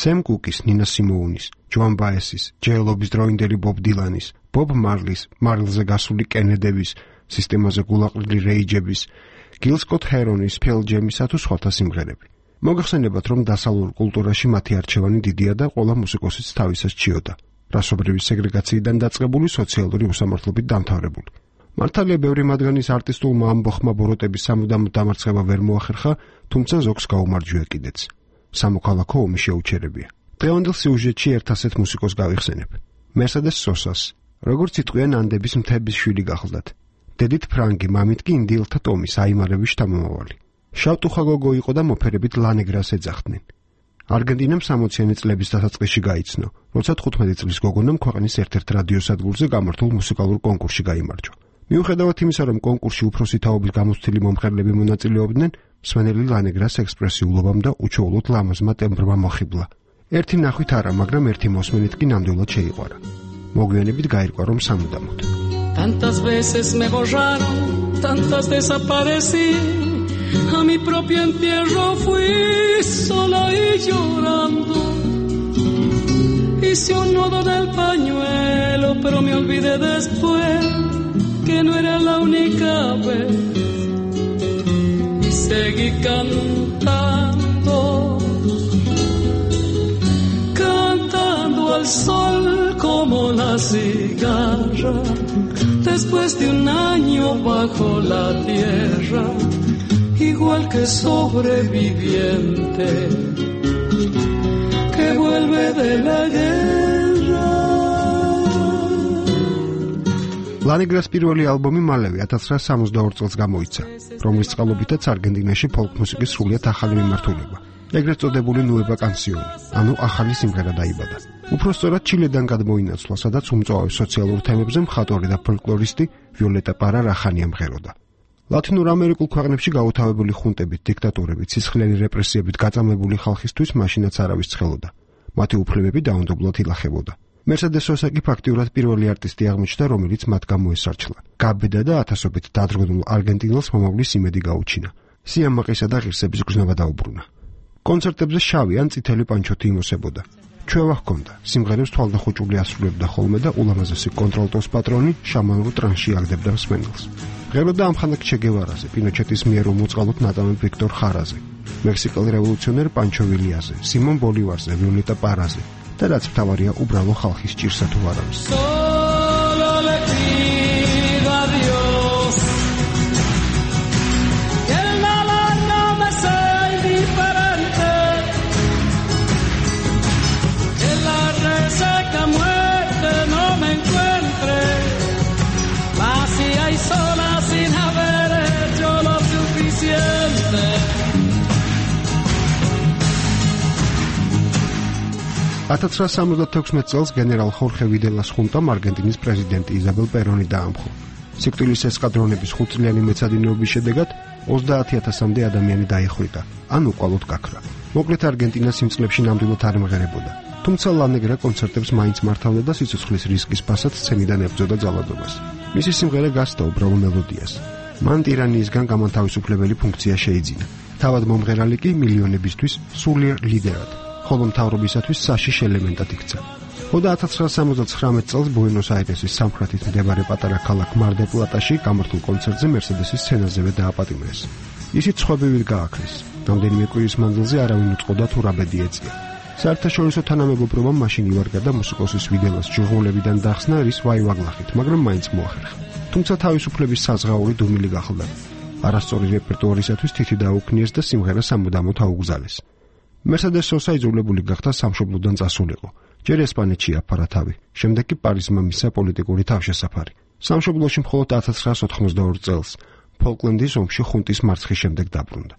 სემ კუკის, ნინა სიმოუნის, ჯოან ბაესის, ჯეილობის დროინდელი ბობ დილანის, ბობ მარლის, მარილზე გასული კენედების, სისტემაზე გულაყრილი რეიჯების, გილ სკოტ ჰერონის, ფელ ჯემისა თუ სხვათა სიმღერები. მოგახსენებათ, რომ დასავლურ კულტურაში მათი არჩევანი დიდია და ყველა მუსიკოსიც თავისას ჭიოდა. რასობრივი სეგრეგაციიდან დაწყებული სოციალური უსამართლობით დამთავრებული. მართალია ბევრი მათგანის არტისტულმა ამბოხმა ბოროტების სამუდამო დამარცხება ვერ მოახერხა, თუმცა ზოგს გაუმარჯვია კიდეც. სამოქალაქო ომი შეუჩერებია. დღევანდელ სიუჟეტში ერთ ასეთ მუსიკოს გავიხსენებ. მერსედეს სოსას, როგორც იტყვიან ანდების მთების შვილი გახლდათ. დედით ფრანგი, მამით კი ინდიელთა ტომის აიმარების შთამომავალი. შავტუხა გოგო იყო და მოფერებით ლანეგრას ეძახდნენ. არგენტინამ სამოციანი წლების დასაწყისში გაიცნო, როცა თხუთმეტი წლის გოგონამ ქვეყნის ერთ-ერთ რადიოსადგურზე გამართულ მუსიკალურ კონკურსში გაიმარჯვა. მიუხედავად იმისა, რომ კონკურსში უფროსი თაობის გამოცდილი მომხერლები მონაწილეობდნენ, მსმენელი ლანეგრას ექსპრესიულობამ და უჩვეულოდ ლამაზმა ტემბრმა მოხიბლა. ერთი ნახვით არა, მაგრამ ერთი მოსმენით კი ნამდვილად შეიყვარა. მოგვიანებით გაირკვა, რომ სამუდამოდ. Tantas veces me borraron, tantas desaparecí, a mi propio entierro fui sola y llorando. Hice un nudo del pañuelo, pero me olvidé después que no era la única vez. Y seguí cantando, cantando al sol como la cigarra. Después de un año bajo la tierra, igual que sobreviviente que vuelve de la guerra. ლანეგრას პირველი ალბომი მალევე ათას ცხრაასი სამოცდაორი წელს გამოიცა, რომლის წყალობითაც არგენტინაში ფოლკ მუსიკის სრულიად ახალი მიმართულება, ეგრეთ წოდებული ნუევა კანსიონი, ანუ ახალი სიმღერა დაიბადა. უფრო სწორად ჩილედან გადმოინაცვლა, სადაც უმწვავე სოციალურ თემებზე მხატვარი და ფოლკლორისტი ვიოლეტა პარა რახანია მღეროდა. ლათინურ ამერიკულ ქვეყნებში გაუთავებული ხუნტებით, დიქტატურებით, სისხლიანი რეპრესიებით გაწამებული ხალხისთვის მაშინაც არავის ცხელოდა. მათი უფლებები დაუნდობლად ილახებოდა. მერსედეს სოსა კი ფაქტიურად პირველი არტისტი აღმოჩნდა, რომელიც მათ გამოესარჩლა. გაბედა და ათასობით დადროვილ არგენტინელს მომავლის იმედი გაუჩინა. სიამაყისა და ღირსების გრძნობა დაუბრუნა. კონცერტებზე შავი ან წითელი პანჩოთი იმოსებოდა. ჩვევა ჰქონდა, სიმღერებს თვალდახუჭული ასრულებდა ხოლმე და ულამაზესი კონტრალტოს პატრონი შამანურ ტრანსში აგდებდა მსმენელს. ღეროდა ამხანაგ ჩე გევარაზე, პინოჩეტის მიერ უმოწყალოდ ნაწამებ ვიქტორ ხარაზე, მექსიკელ რევოლუციონერ პანჩო ვილიაზე, სიმონ ბოლივარზე, ვიოლეტა პარაზე და რაც მთავარია, უბრალო ხალხის ჭირსა თუ არავის. ათას ცხრაასი სამოცდათექვსმეტ წელს გენერალ ხორხე ვიდელას ხუნტამ არგენტინის პრეზიდენტი იზაბელ პერონი დაამხო. სიკვდილის ესკადრონების ხუთწლიანი მეცადინეობის შედეგად ოცდაათი ათასამდე ადამიანი დაიხვრიტა, ან უკვალოდ გაქრა. მოკლედ არგენტინას იმ წლებში ნამდვილად არ მღერებოდა. თუმცა ლანეგრა კონცერტებს მაინც მართავდა და სიცოცხლის რისკის ფასად სცენიდან ებრძოდა ძალადობას. მისი სიმღერა გასცდა უბრალო მელოდიას. მან ტირანიისგან გამანთავისუფლებელი ფუნქცია შეიძინა. თავად მომღერალი კი მილიონებისთვის სულიერ ლიდერად, ხოლო მთავრობისათვის საშიშ ელემენტად იქცა. ხოდა ათას ცხრაასი სამოცდაცხრამეტ წელს ბუენოს-აირესის სამხრეთით მდებარე პატარა ქალაქ მარ-დელ-პლატაში გამართულ კონცერტზე მერსედესის სცენაზევე დააპატიმრეს. ისიც სხვებივით გააქრეს. რამდენიმე კვირის მანძილზე არავინ უწყოდა თუ რა ბედი ეწია. საერთაშორისო თანამეგობრობამ მაშინ ივარგა და მუსიკოსის ვიდელას ჟურნალებიდან დახსნა რის ვაივაგლახით, მაგრამ მაინც მოახერხა. თუმცა თავისუფლების საზღაური დუმილი გახლდა. არასწორი რეპერტუარისათვის თითი დაუქნიეს და სიმღერა სამუდამოდ აუგზალეს. მერსედეს სოსა იძულებული გახდა სამშობლოდან წასულიყო. ჯერ ესპანეთში აფარა თავი, შემდეგ კი პარიზმა მისცა პოლიტიკური თავშესაფარი. სამშობლოში მხოლოდ ათას ცხრაასი ოთხმოცდაორი წელს, ფოლკლენდის ომში ხუნტის მარცხის შემდეგ დაბრუნდა.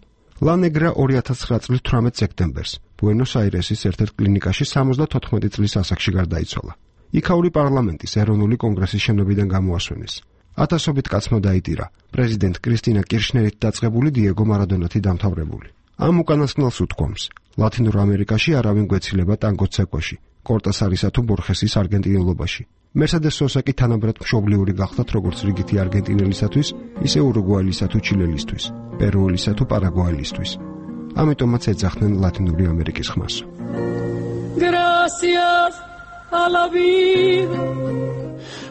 ლანეგრა ორი ათას ცხრა წლის თვრამეტ სექტემბერს ბუენოს-აირესის ერთ-ერთ კლინიკაში სამოცდათოთხმეტი წლის ასაკში გარდაიცვალა. იქაური პარლამენტის ეროვნული კონგრესის შენობიდან გამოასვენეს. ათასობით კაცმა დაიტირა. პრეზიდენტ კრისტინა კირშნერით დაწყებული დიეგო მარადონათი დამთავრებული. ამ უკანასკნელს უთქვამს: ლათინურ ამერიკაში არავინ გვეცილება ტანგოს ცეკვაში, კორტასარისა თუ ბორხესის არგენტინელობაში. მერსედეს სოსაკი თანაბრად მშობლიური გახდათ როგორც რიგითი არგენტინელისათვის, ისე ურუგვაელისა თუ ჩილელისთვის, პერუელისა თუ პარაგვაელისთვის. ამიტომაც ეძახდნენ ლათინური ამერიკის ხმას. Gracias a la vida.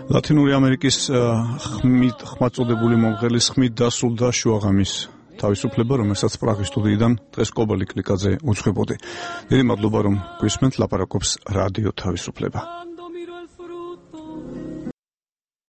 ლათინური ამერიკის ხმით ხმაწოდებული მომღერლის ხმით დასრულდა შუაღამის თავისუფლება, რომელსაც პრაღის სტუდიიდან დღეს კობალი კლიკაძე უძღვებოდი. დიდი მადლობა, რომ გვისმენთ, ლაპარაკობს რადიო თავისუფლება.